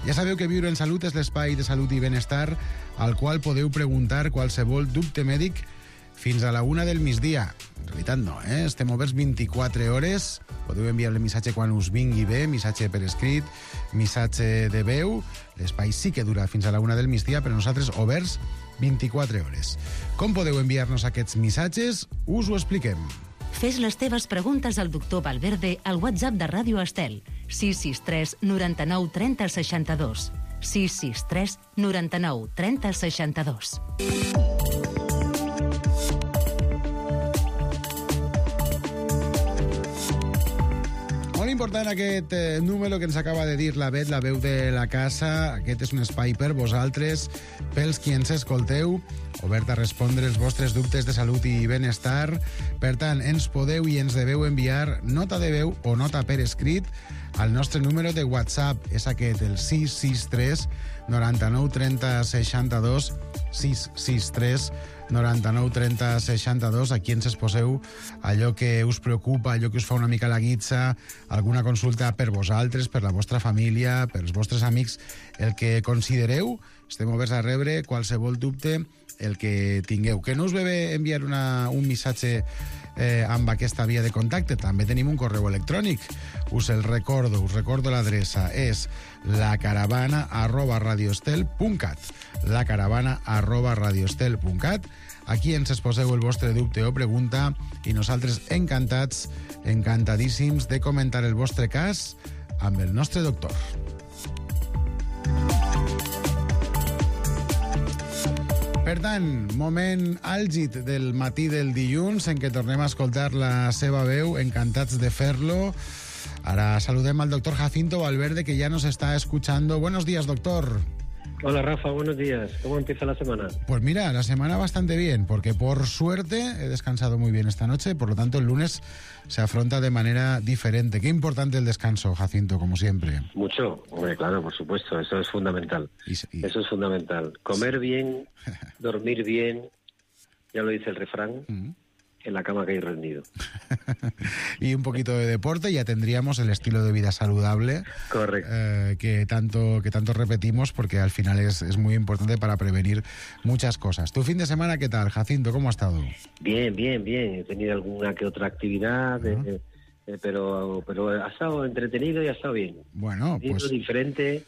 Ja sabeu que Viure en Salut és l'espai de salut i benestar al qual podeu preguntar qualsevol dubte mèdic fins a la 1 del migdia. En realitat no, estem oberts 24 hores. Podeu enviar el missatge quan us vingui bé, missatge per escrit, missatge de veu. L'espai sí que dura fins a la 1 del migdia, però nosaltres oberts 24 hores. Com podeu enviar-nos aquests missatges? Us ho expliquem. Fes les teves preguntes al doctor Valverde al WhatsApp de Ràdio Estel, 663 99 30 62. 663 99 30 62. Molt important aquest número que ens acaba de dir la Bet, la veu de la casa. Aquest és un espai per vosaltres, pels qui ens escolteu, obert a respondre els vostres dubtes de salut i benestar. Per tant, ens podeu i ens deveu enviar nota de veu o nota per escrit al nostre número de WhatsApp. És aquest, el 663 99 30 62, 663 99 30 62. Aquí ens exposeu allò que us preocupa, allò que us fa una mica la guitza, alguna consulta per vosaltres, per la vostra família, pels vostres amics, el que considereu. Estem oberts a rebre qualsevol dubte, el que tingueu. Que no us ve bé enviar un missatge amb aquesta via de contacte. També tenim un correu electrònic. Us recordo l'adreça. És lacaravana@radioestel.cat. lacaravana@radioestel.cat. Aquí ens exposeu el vostre dubte o pregunta i nosaltres encantats, encantadíssims de comentar el vostre cas amb el nostre doctor. Per tant, moment àlgid del matí del dilluns en què tornem a escoltar la seva veu, encantats de fer-lo. Ara saludem al doctor Jacinto Valverde, que ya nos está escuchando. Buenos días, doctor. Hola, Rafa, buenos días. ¿Cómo empieza la semana? Pues mira, la semana bastante bien, porque por suerte he descansado muy bien esta noche, por lo tanto el lunes se afronta de manera diferente. Qué importante el descanso, Jacinto, como siempre. Mucho, hombre, claro, por supuesto, eso es fundamental. Eso es fundamental. Comer bien, dormir bien, ya lo dice el refrán, en la cama que hay rendido. Y un poquito de deporte, ya tendríamos el estilo de vida saludable. Correcto. Que tanto repetimos, porque al final es muy importante para prevenir muchas cosas. ¿Tu fin de semana qué tal, Jacinto? ¿Cómo ha estado? Bien. He tenido alguna que otra actividad, pero ha estado entretenido y ha estado bien. Bueno, pues diferente.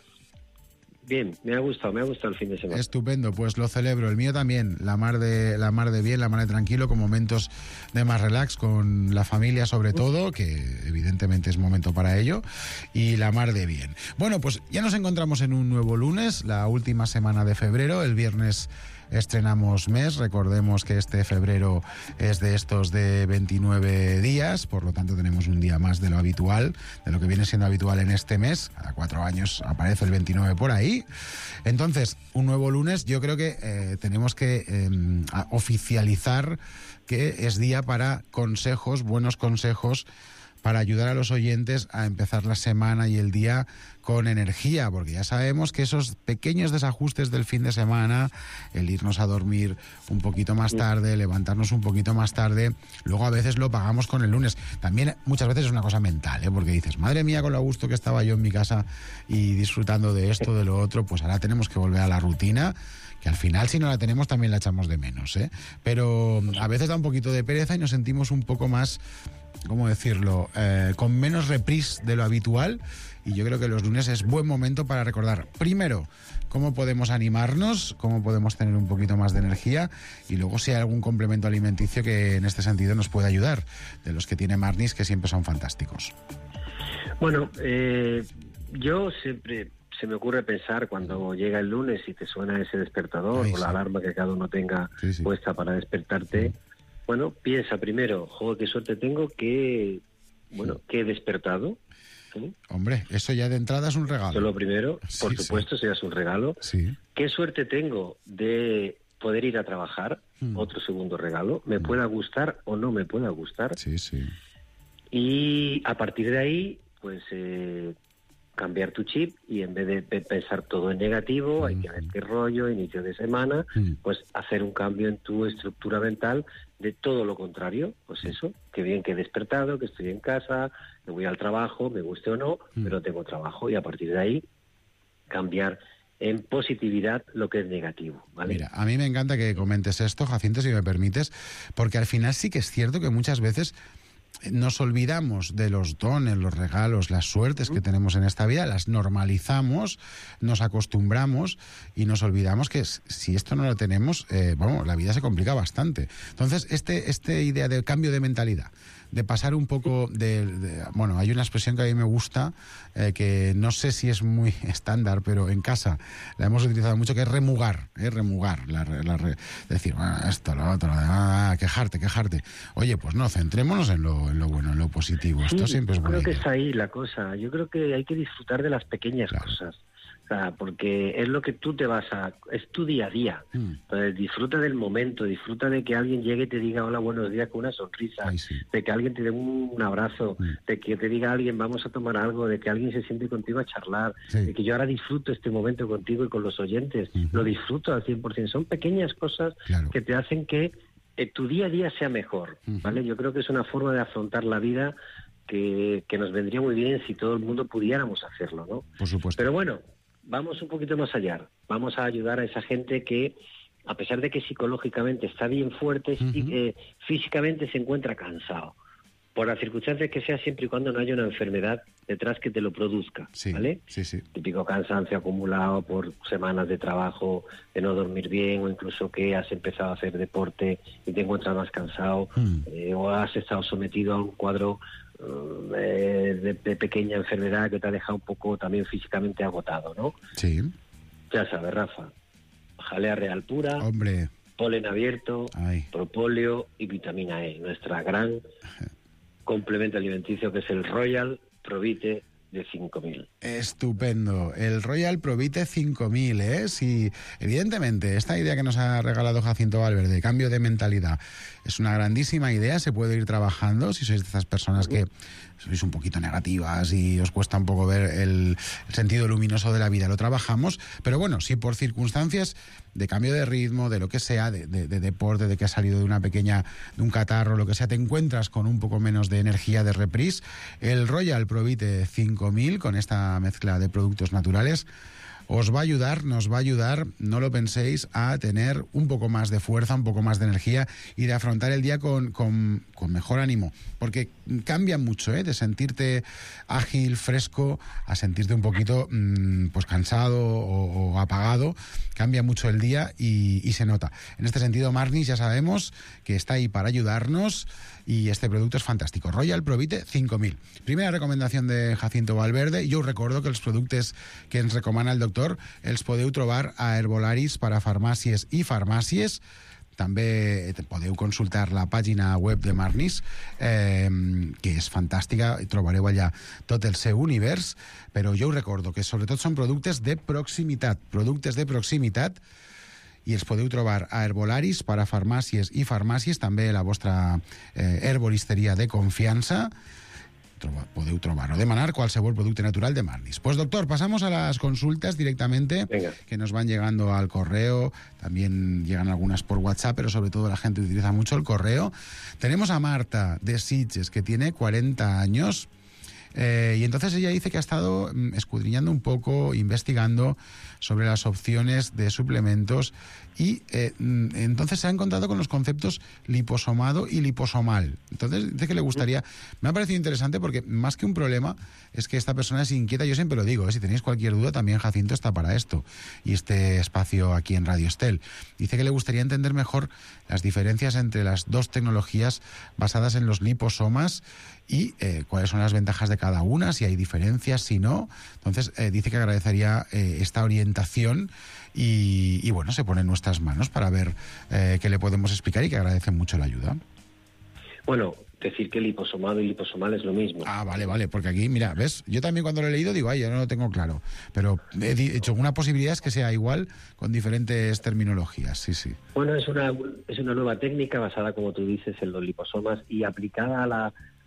Bien, me ha gustado el fin de semana. Estupendo, pues lo celebro. El mío también, la mar de bien, la mar de tranquilo, con momentos de más relax, con la familia sobre todo, que evidentemente es momento para ello, y la mar de bien. Bueno, pues ya nos encontramos en un nuevo lunes, la última semana de febrero. El viernes estrenamos mes. Recordemos que este febrero es de estos de 29 días, por lo tanto tenemos un día más de lo habitual, de lo que viene siendo habitual en este mes. Cada 4 años aparece el 29 por ahí. Entonces, un nuevo lunes. Yo creo que tenemos que oficializar que es día para consejos, buenos consejos para ayudar a los oyentes a empezar la semana y el día con energía, porque ya sabemos que esos pequeños desajustes del fin de semana, el irnos a dormir un poquito más tarde, levantarnos un poquito más tarde, luego a veces lo pagamos con el lunes. También muchas veces es una cosa mental, porque dices, madre mía, con lo a gusto que estaba yo en mi casa y disfrutando de esto, de lo otro, pues ahora tenemos que volver a la rutina, que al final si no la tenemos también la echamos de menos, pero a veces da un poquito de pereza y nos sentimos un poco más, ¿cómo decirlo?, con menos reprise de lo habitual. Y yo creo que los lunes es buen momento para recordar, primero, cómo podemos animarnos, cómo podemos tener un poquito más de energía, y luego si hay algún complemento alimenticio que en este sentido nos puede ayudar, de los que tiene Marnis, que siempre son fantásticos. Bueno, yo siempre se me ocurre pensar cuando llega el lunes y te suena ese despertador o la alarma que cada uno tenga puesta para despertarte. Bueno, piensa primero, joder, qué suerte tengo que he despertado. ¿Sí? Hombre, eso ya de entrada es un regalo. Eso es lo primero, por supuesto, eso ya es un regalo. Sí. Qué suerte tengo de poder ir a trabajar, otro segundo regalo. Me pueda gustar o no me pueda gustar. Sí, sí. Y a partir de ahí, pues cambiar tu chip y en vez de pensar todo en negativo, hay que ver qué rollo, inicio de semana, pues hacer un cambio en tu estructura mental de todo lo contrario, pues eso, que bien que he despertado, que estoy en casa, me voy al trabajo, me guste o no, pero tengo trabajo, y a partir de ahí cambiar en positividad lo que es negativo, ¿vale? Mira, a mí me encanta que comentes esto, Jacinto, si me permites, porque al final sí que es cierto que muchas veces nos olvidamos de los dones, los regalos, las suertes que tenemos en esta vida, las normalizamos, nos acostumbramos y nos olvidamos que si esto no lo tenemos, la vida se complica bastante. Entonces, esta idea del cambio de mentalidad, de pasar un poco hay una expresión que a mí me gusta, que no sé si es muy estándar, pero en casa la hemos utilizado mucho, que es remugar, decir, esto, lo otro, quejarte. Oye, pues no, centrémonos en lo bueno, en lo positivo. Esto siempre es bueno. Yo creo que es ahí la cosa. Yo creo que hay que disfrutar de las pequeñas cosas. O sea, porque es lo que tú es tu día a día. Entonces, disfruta del momento, disfruta de que alguien llegue y te diga hola, buenos días, con una sonrisa, de que alguien te dé un abrazo, de que te diga alguien vamos a tomar algo, de que alguien se siente contigo a charlar, de que yo ahora disfruto este momento contigo y con los oyentes, lo disfruto al 100%. Son pequeñas cosas que te hacen que tu día a día sea mejor, ¿vale? Yo creo que es una forma de afrontar la vida que nos vendría muy bien si todo el mundo pudiéramos hacerlo, ¿no? Por supuesto. Pero bueno, vamos un poquito más allá. Vamos a ayudar a esa gente que, a pesar de que psicológicamente está bien fuerte, físicamente se encuentra cansado. Por las circunstancias que sea, siempre y cuando no haya una enfermedad detrás que te lo produzca, ¿vale? Sí. Típico cansancio acumulado por semanas de trabajo, de no dormir bien, o incluso que has empezado a hacer deporte y te encuentras más cansado, o has estado sometido a un cuadro de pequeña enfermedad que te ha dejado un poco también físicamente agotado, ¿no? Sí. Ya sabes, Rafa, jalea real pura, hombre, polen abierto, propóleo y vitamina E, nuestra gran complemento alimenticio, que es el Royal Provite de 5000. Estupendo. El Royal Provite 5000, Sí, evidentemente, esta idea que nos ha regalado Jacinto Valverde, de cambio de mentalidad, es una grandísima idea, se puede ir trabajando si sois de estas personas que sois un poquito negativas y os cuesta un poco ver el sentido luminoso de la vida, lo trabajamos, pero bueno, si por circunstancias de cambio de ritmo, de lo que sea, de deporte, de que has salido de un catarro, lo que sea, te encuentras con un poco menos de energía, de reprise, el Royal Provite 5000, con esta mezcla de productos naturales, os va a ayudar, nos va a ayudar, no lo penséis, a tener un poco más de fuerza, un poco más de energía y de afrontar el día con mejor ánimo, porque cambia mucho, de sentirte ágil, fresco, a sentirte un poquito pues cansado o apagado. Cambia mucho el día y se nota. En este sentido, Marnis, ya sabemos que está ahí para ayudarnos y este producto es fantástico. Royal Provite 5000. Primera recomendación de Jacinto Valverde. Jo us recordo que els productes que ens recomana el doctor els podeu trobar a Herbolaris per a farmàcies i farmàcies. També podeu consultar la pàgina web de Marnis, que és fantàstica, i trobareu allà tot el seu univers, però jo us recordo que sobretot són productes de proximitat, i els podeu trobar a Herbolaris, per a farmàcies i farmàcies, també la vostra herboristeria de confiança. podeu trobar o demanar qualsevol producte natural de Marnis. Pues doctor, pasamos a las consultas directamente. Venga. Que nos van llegando al correo, también llegan algunas por WhatsApp, pero sobre todo la gente utiliza mucho el correo. Tenemos a Marta de Sitges, que tiene 40 años. Y entonces ella dice que ha estado escudriñando un poco, investigando sobre las opciones de suplementos y entonces se ha encontrado con los conceptos liposomado y liposomal. Entonces dice que le gustaría... Me ha parecido interesante porque más que un problema es que esta persona es inquieta. Yo siempre lo digo, si tenéis cualquier duda también Jacinto está para esto y este espacio aquí en Radio Estel. Dice que le gustaría entender mejor las diferencias entre las dos tecnologías basadas en los liposomas y cuáles son las ventajas de cada una, si hay diferencias, si no. Entonces dice que agradecería esta orientación y bueno, se pone en nuestras manos para ver qué le podemos explicar y que agradece mucho la ayuda. Bueno, decir que liposomado y liposomal es lo mismo. Ah, vale, porque aquí, mira, ¿ves? Yo también cuando lo he leído digo, yo no lo tengo claro, pero he dicho, una posibilidad es que sea igual con diferentes terminologías, sí. Bueno, es una nueva técnica basada, como tú dices, en los liposomas y aplicada a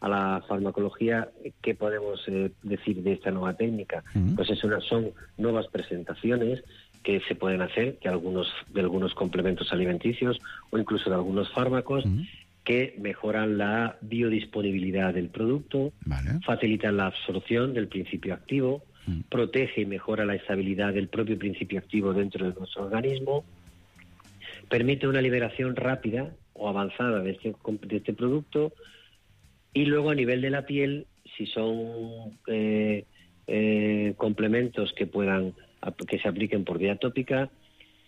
la farmacología. ¿Qué podemos decir de esta nueva técnica? Pues son nuevas presentaciones que se pueden hacer de algunos complementos alimenticios o incluso de algunos fármacos que mejoran la biodisponibilidad del producto, facilitan la absorción del principio activo, protege y mejora la estabilidad del propio principio activo dentro de nuestro organismo, permite una liberación rápida o avanzada de este producto. Y luego a nivel de la piel, si son complementos que se apliquen por vía tópica,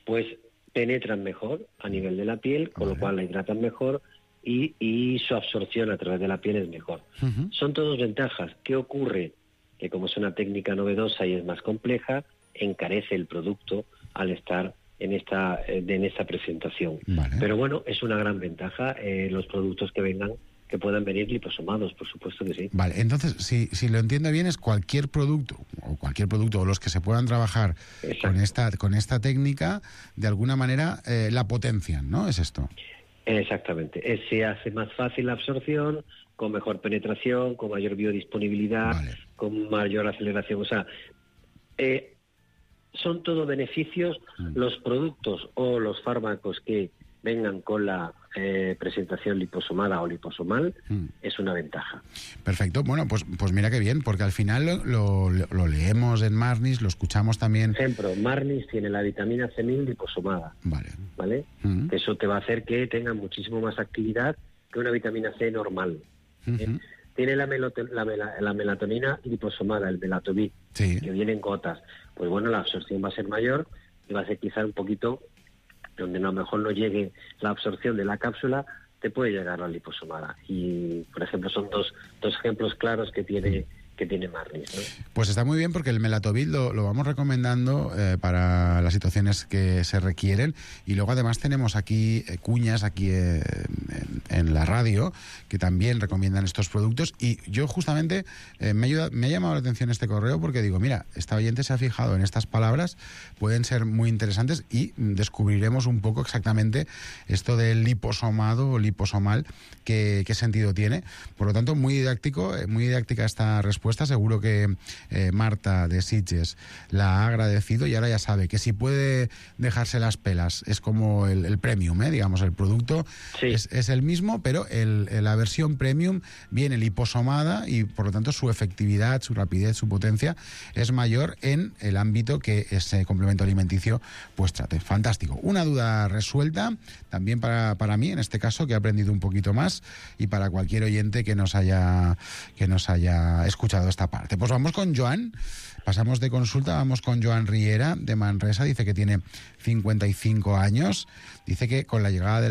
pues penetran mejor a nivel de la piel, con lo cual la hidratan mejor y su absorción a través de la piel es mejor. Son todas ventajas. ¿Qué ocurre? Que como es una técnica novedosa y es más compleja, encarece el producto al estar en esta presentación. Pero bueno, es una gran ventaja los productos que puedan venir liposomados, por supuesto que sí. Vale, entonces, si lo entiendo bien, es cualquier producto o los que se puedan trabajar con esta técnica, de alguna manera la potencian, ¿no? ¿Es esto? Exactamente. Se hace más fácil la absorción, con mejor penetración, con mayor biodisponibilidad, con mayor aceleración. O sea, son todo beneficios. Los productos o los fármacos que vengan con la presentación liposomada o liposomal es una ventaja. Perfecto. Bueno, pues mira qué bien, porque al final lo leemos en Marnis, lo escuchamos también. Por ejemplo, Marnis tiene la vitamina C1000 liposomada. ¿Vale? Eso te va a hacer que tenga muchísimo más actividad que una vitamina C normal. Tiene la melatonina liposomada, el Melatovit, que viene en gotas. Pues bueno, la absorción va a ser mayor y va a ser quizá un poquito donde a lo mejor no llegue la absorción de la cápsula, te puede llegar la liposomada. Y, por ejemplo, son dos ejemplos claros que tiene Marnis, ¿no? Pues está muy bien porque el Melatovit lo vamos recomendando para las situaciones que se requieren y luego además tenemos aquí cuñas aquí en la radio que también recomiendan estos productos y yo justamente me ha llamado la atención este correo porque digo, mira, esta oyente se ha fijado en estas palabras, pueden ser muy interesantes y descubriremos un poco exactamente esto del liposomado o liposomal, qué sentido tiene. Por lo tanto, muy didáctica esta respuesta. Seguro que Marta de Sitges la ha agradecido y ahora ya sabe que si puede dejarse las pelas es como el premium, digamos, el producto es el mismo, pero la versión premium viene liposomada y por lo tanto su efectividad, su rapidez, su potencia es mayor en el ámbito que ese complemento alimenticio pues trate. Fantástico. Una duda resuelta también para mí, en este caso, que he aprendido un poquito más y para cualquier oyente que nos haya escuchado esta parte. Pues vamos con Joan, pasamos de consulta, vamos con Joan Riera de Manresa, dice que tiene 55 años, dice que con la llegada de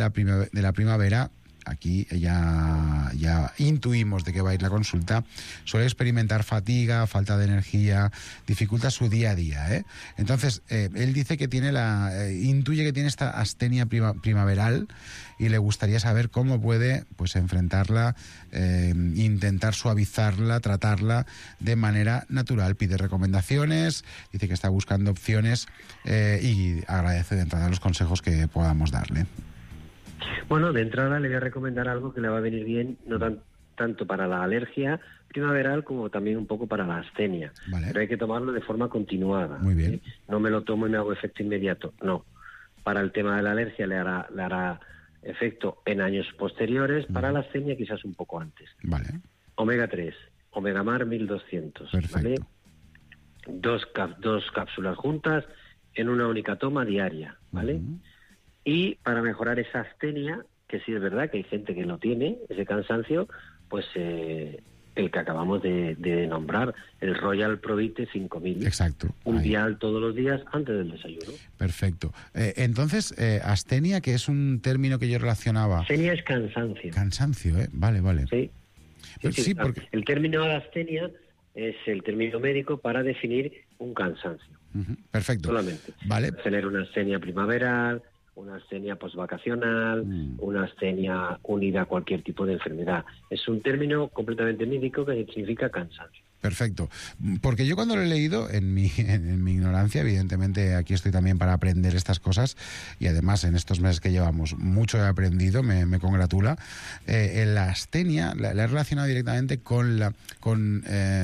la primavera, aquí ya intuimos de qué va a ir la consulta, suele experimentar fatiga, falta de energía, dificulta su día a día, Entonces, él dice que intuye que tiene esta astenia primaveral y le gustaría saber cómo puede pues enfrentarla, intentar suavizarla, tratarla de manera natural. Pide recomendaciones, dice que está buscando opciones y agradece de entrada los consejos que podamos darle. Bueno, de entrada le voy a recomendar algo que le va a venir bien, no tanto para la alergia primaveral como también un poco para la astenia. Vale. Pero hay que tomarlo de forma continuada. Muy bien. No me lo tomo y me hago efecto inmediato. No. Para el tema de la alergia le hará efecto en años posteriores. Para la astenia quizás un poco antes. Vale. Omega 3, Omega Mar 1200. Perfecto. ¿Vale? Dos cápsulas juntas en una única toma diaria, ¿vale? Y para mejorar esa astenia, que sí es verdad que hay gente que lo tiene, ese cansancio, pues el que acabamos de nombrar, el Royal Provite 5000. Exacto. Un dial todos los días antes del desayuno. Perfecto. Entonces, astenia, que es un término que yo relacionaba... Astenia es cansancio. Cansancio, Vale. Sí. Sí, porque... El término de astenia es el término médico para definir un cansancio. Perfecto. Solamente. Vale. Tener una astenia primaveral, una astenia postvacacional, una astenia unida a cualquier tipo de enfermedad. Es un término completamente médico que significa cansancio. Perfecto. Porque yo cuando lo he leído, en mi ignorancia, evidentemente aquí estoy también para aprender estas cosas, y además en estos meses que llevamos mucho he aprendido, me congratula. La astenia la he relacionado directamente con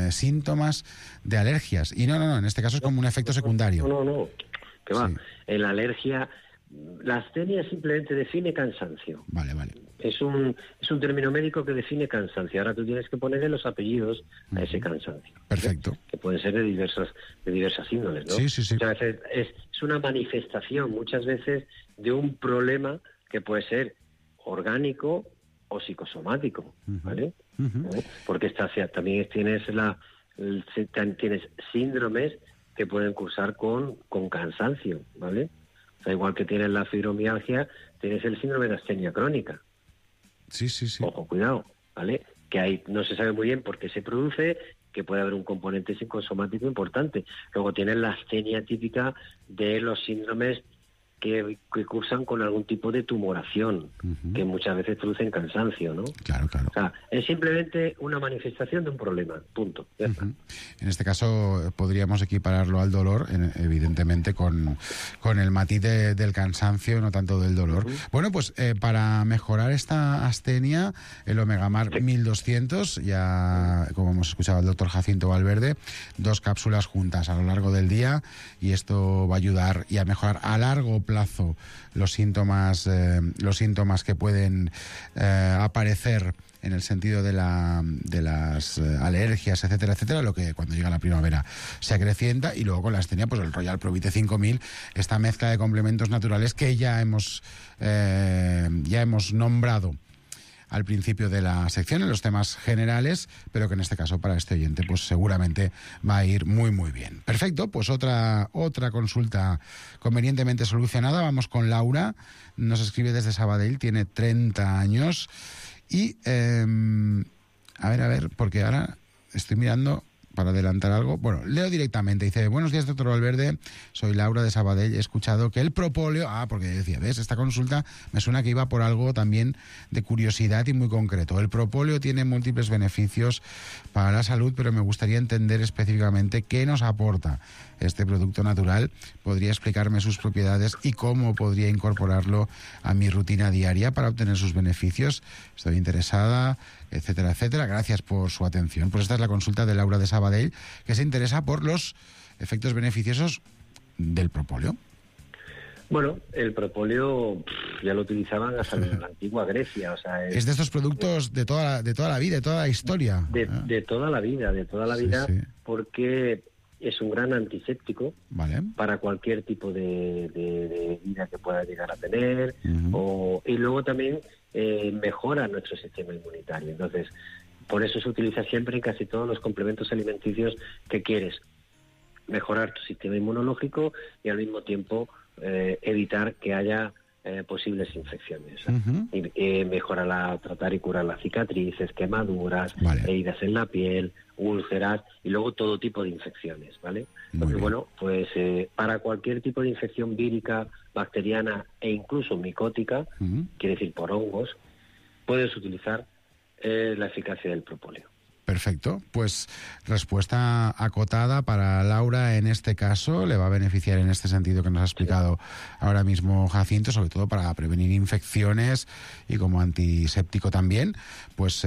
síntomas de alergias. Y no, en este caso es como un efecto secundario. No. ¿Qué va? En la alergia, la astenia simplemente define cansancio. Vale. Es un término médico que define cansancio. Ahora tú tienes que ponerle los apellidos a ese cansancio. Perfecto. Que pueden ser de diversas índoles, ¿no? Sí. Muchas veces es una manifestación, muchas veces, de un problema que puede ser orgánico o psicosomático, ¿vale? Porque también tienes síndromes que pueden cursar con cansancio, ¿vale? O sea, igual que tienes la fibromialgia, tienes el síndrome de astenia crónica. Sí. Ojo, cuidado, ¿vale? Que ahí no se sabe muy bien por qué se produce, que puede haber un componente psicosomático importante. Luego tienes la astenia típica de los síndromes que cursan con algún tipo de tumoración, que muchas veces producen cansancio, ¿no? Claro. O sea, es simplemente una manifestación de un problema, punto. Ya está. En este caso podríamos equipararlo al dolor, evidentemente con el matiz del cansancio, no tanto del dolor. Bueno, pues para mejorar esta astenia, el Omega Mar 1200, ya como hemos escuchado al doctor Jacinto Valverde, 2 cápsulas juntas a lo largo del día, y esto va a ayudar y a mejorar a largo plazo los síntomas que pueden aparecer en el sentido de las alergias, etcétera, lo que cuando llega la primavera se acrecienta. Y luego con la astenia, pues el Royal Provite 5000, esta mezcla de complementos naturales que ya hemos nombrado al principio de la sección, en los temas generales, pero que en este caso para este oyente pues seguramente va a ir muy bien. Perfecto, pues otra consulta convenientemente solucionada. Vamos con Laura, nos escribe desde Sabadell, tiene 30 años y a ver, porque ahora estoy mirando para adelantar algo. Bueno, leo directamente. Dice: buenos días, doctor Valverde. Soy Laura de Sabadell. He escuchado que el propóleo... porque decía, ¿ves? Esta consulta me suena que iba por algo también de curiosidad y muy concreto. El propóleo tiene múltiples beneficios para la salud, pero me gustaría entender específicamente qué nos aporta este producto natural. ¿Podría explicarme sus propiedades y cómo podría incorporarlo a mi rutina diaria para obtener sus beneficios? Estoy interesada, etcétera. Gracias por su atención. Pues esta es la consulta de Laura de Sabadell, que se interesa por los efectos beneficiosos del propóleo. Bueno, el propóleo ya lo utilizaban hasta en la antigua Grecia. O sea, es de estos productos de toda la vida, de toda la historia. De toda la vida, Sí. Porque es un gran antiséptico, vale, para cualquier tipo de vida que pueda llegar a tener, y luego también mejora nuestro sistema inmunitario. Entonces, por eso se utiliza siempre en casi todos los complementos alimenticios que quieres mejorar tu sistema inmunológico y al mismo tiempo evitar que haya posibles infecciones. Y mejora tratar y curar las cicatrices, quemaduras, heridas en la piel, úlceras y luego todo tipo de infecciones, ¿vale? Entonces, bueno, pues para cualquier tipo de infección vírica, bacteriana e incluso micótica, quiere decir por hongos, puedes utilizar la eficacia del propóleo. Perfecto. Pues respuesta acotada para Laura en este caso. Le va a beneficiar en este sentido que nos ha explicado ahora mismo Jacinto, sobre todo para prevenir infecciones y como antiséptico también. Pues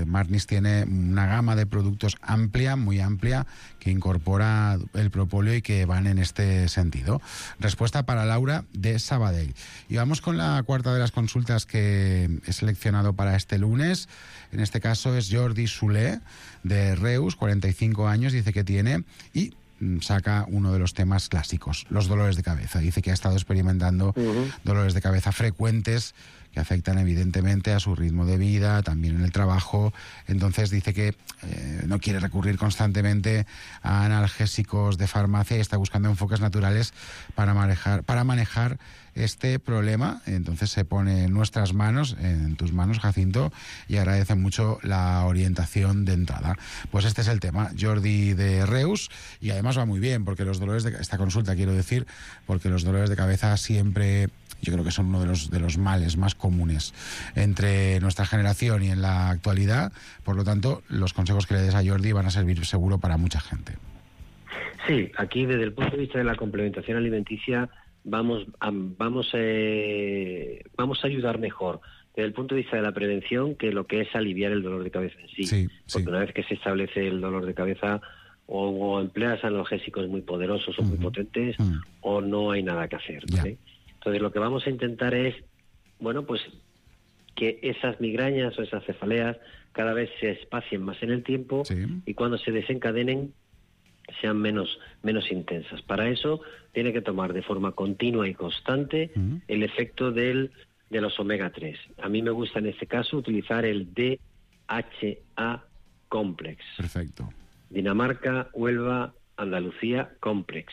Marnis tiene una gama de productos amplia, muy amplia, que incorpora el propóleo y que van en este sentido. Respuesta para Laura de Sabadell. Y vamos con la cuarta de las consultas que he seleccionado para este lunes. En este caso es Jordi Soler, de Reus, 45 años, dice que tiene, y saca uno de los temas clásicos, los dolores de cabeza. Dice que ha estado experimentando dolores de cabeza frecuentes que afectan evidentemente a su ritmo de vida, también en el trabajo. Entonces dice que no quiere recurrir constantemente a analgésicos de farmacia y está buscando enfoques naturales para manejar este problema. Entonces se pone en nuestras manos, en tus manos, Jacinto, y agradece mucho la orientación de entrada. Pues este es el tema, Jordi de Reus, y además va muy bien, porque los dolores de esta consulta, quiero decir, porque los dolores de cabeza siempre, yo creo que son uno de los males más comunes entre nuestra generación y en la actualidad. Por lo tanto, los consejos que le des a Jordi van a servir seguro para mucha gente. Sí, aquí desde el punto de vista de la complementación alimenticia vamos a ayudar mejor desde el punto de vista de la prevención que lo que es aliviar el dolor de cabeza en sí. Porque una vez que se establece el dolor de cabeza, o empleas analgésicos muy poderosos o muy potentes, o no hay nada que hacer, ¿vale? Entonces lo que vamos a intentar es, bueno, pues que esas migrañas o esas cefaleas cada vez se espacien más en el tiempo y cuando se desencadenen sean menos intensas. Para eso tiene que tomar de forma continua y constante el efecto de los omega 3. A mí me gusta en este caso utilizar el DHA Complex. Perfecto. Dinamarca, Huelva, Andalucía Complex.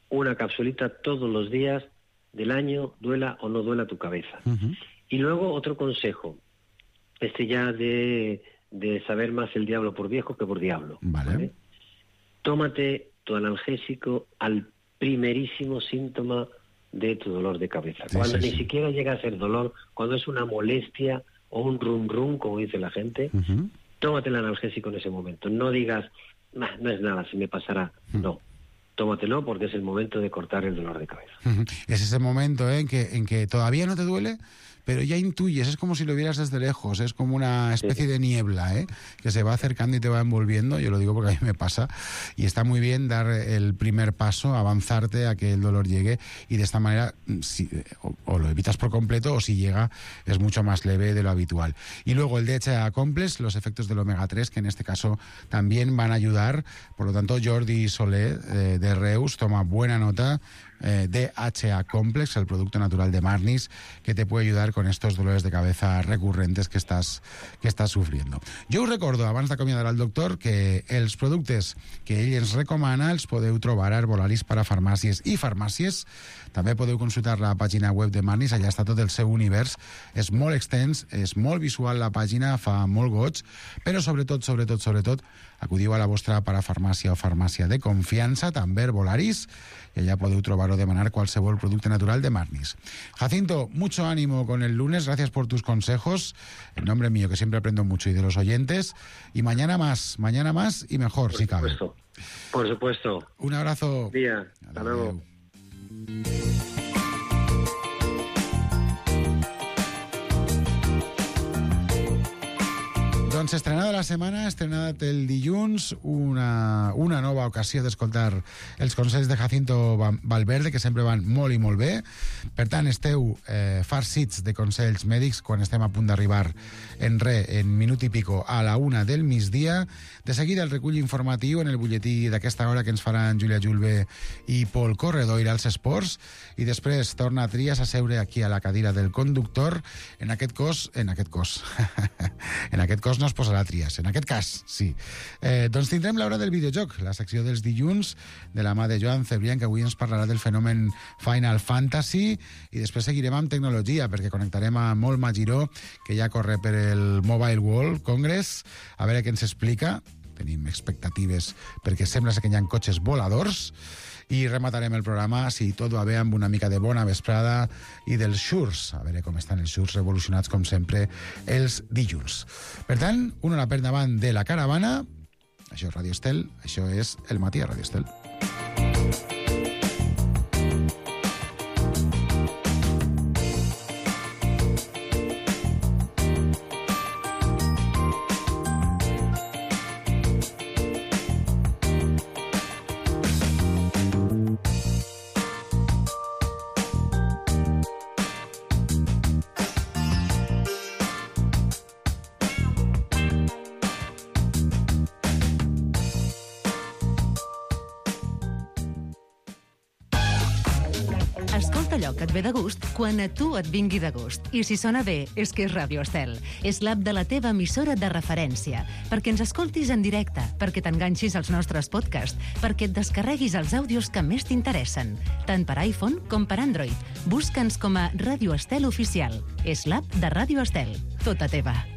Una capsulita todos los días del año, duela o no duela tu cabeza. Y luego otro consejo, ya de saber más el diablo por viejo que por diablo. ¿Vale? Tómate tu analgésico al primerísimo síntoma de tu dolor de cabeza. Cuando ni siquiera llega a ser dolor, cuando es una molestia o un rum, como dice la gente, tómate el analgésico en ese momento. No digas, no es nada, se me pasará. No. Tómatelo porque es el momento de cortar el dolor de cabeza. Es ese momento en que todavía no te duele, pero ya intuyes, es como si lo vieras desde lejos, es como una especie de niebla, que se va acercando y te va envolviendo. Yo lo digo porque a mí me pasa, y está muy bien dar el primer paso, avanzarte a que el dolor llegue, y de esta manera o lo evitas por completo, o si llega es mucho más leve de lo habitual. Y luego el DHA Complex, los efectos del omega 3, que en este caso también van a ayudar. Por lo tanto, Jordi Soler de Reus, toma buena nota. DHA Complex, el producto natural de Marnis, que te puede ayudar con estos dolores de cabeza recurrentes que estàs sofriendo. Jo us recordo, abans d'acomiadar el doctor, que els productes que ell ens recomana els podeu trobar a Herbolaris per a farmàcies i farmàcies. També podeu consultar la pàgina web de Marnis, allà està tot el seu univers. És molt extens, és molt visual la pàgina, fa molt goig, però sobretot, acudiu a la vostra parafarmàcia o farmàcia de confiança, també Herbolaris, y allá podeu trobar o demanar cualquier producto natural de Marnis. Jacinto, mucho ánimo con el lunes, gracias por tus consejos, en nombre mío, que siempre aprendo mucho, y de los oyentes, y mañana más y mejor, si cabe. Por supuesto. Un abrazo. Día. Hasta luego. Doncs estrenada la setmana, estrenat el dilluns, una nova ocasió d'escoltar els consells de Jacinto Valverde, que sempre van molt i molt bé. Per tant, esteu farcits de consells mèdics quan estem a punt d'arribar en minut i pico a la 1 del migdia. De seguida el recull informatiu en el butlletí d'aquesta hora que ens faran Júlia Julve i Pol Corredor als esports, i després torna a Trias a seure aquí a la cadira del conductor. En aquest cos no es posarà Trias, en aquest cas, sí. Doncs tindrem l'hora del videojoc, la secció dels dilluns, de la mà de Joan Cebrián, que avui ens parlarà del fenomen Final Fantasy, i després seguirem amb tecnologia, perquè connectarem a Molma Giró, que ja corre per el Mobile World Congress, a veure què ens explica. tenim expectatives perquè sembla que hi ha cotxes voladors, i rematarem el programa, si tot va bé, amb una mica de bona vesprada i dels xurs. A veure com estan els xurs revolucionats, com sempre, els dilluns. Per tant, una hora per davant de la caravana. Això és Radio Estel, això és El Matí a Radio Estel. Escolta allò que et ve de gust quan a tu et vingui de gust. I si sona bé, és que és Radio Estel. És l'app de la teva emissora de referència. Perquè ens escoltis en directe, perquè t'enganxis als nostres podcasts, perquè et descarreguis els àudios que més t'interessen, tant per iPhone com per Android. Busca'ns com a Radio Estel Oficial. És l'app de Radio Estel. Tota teva.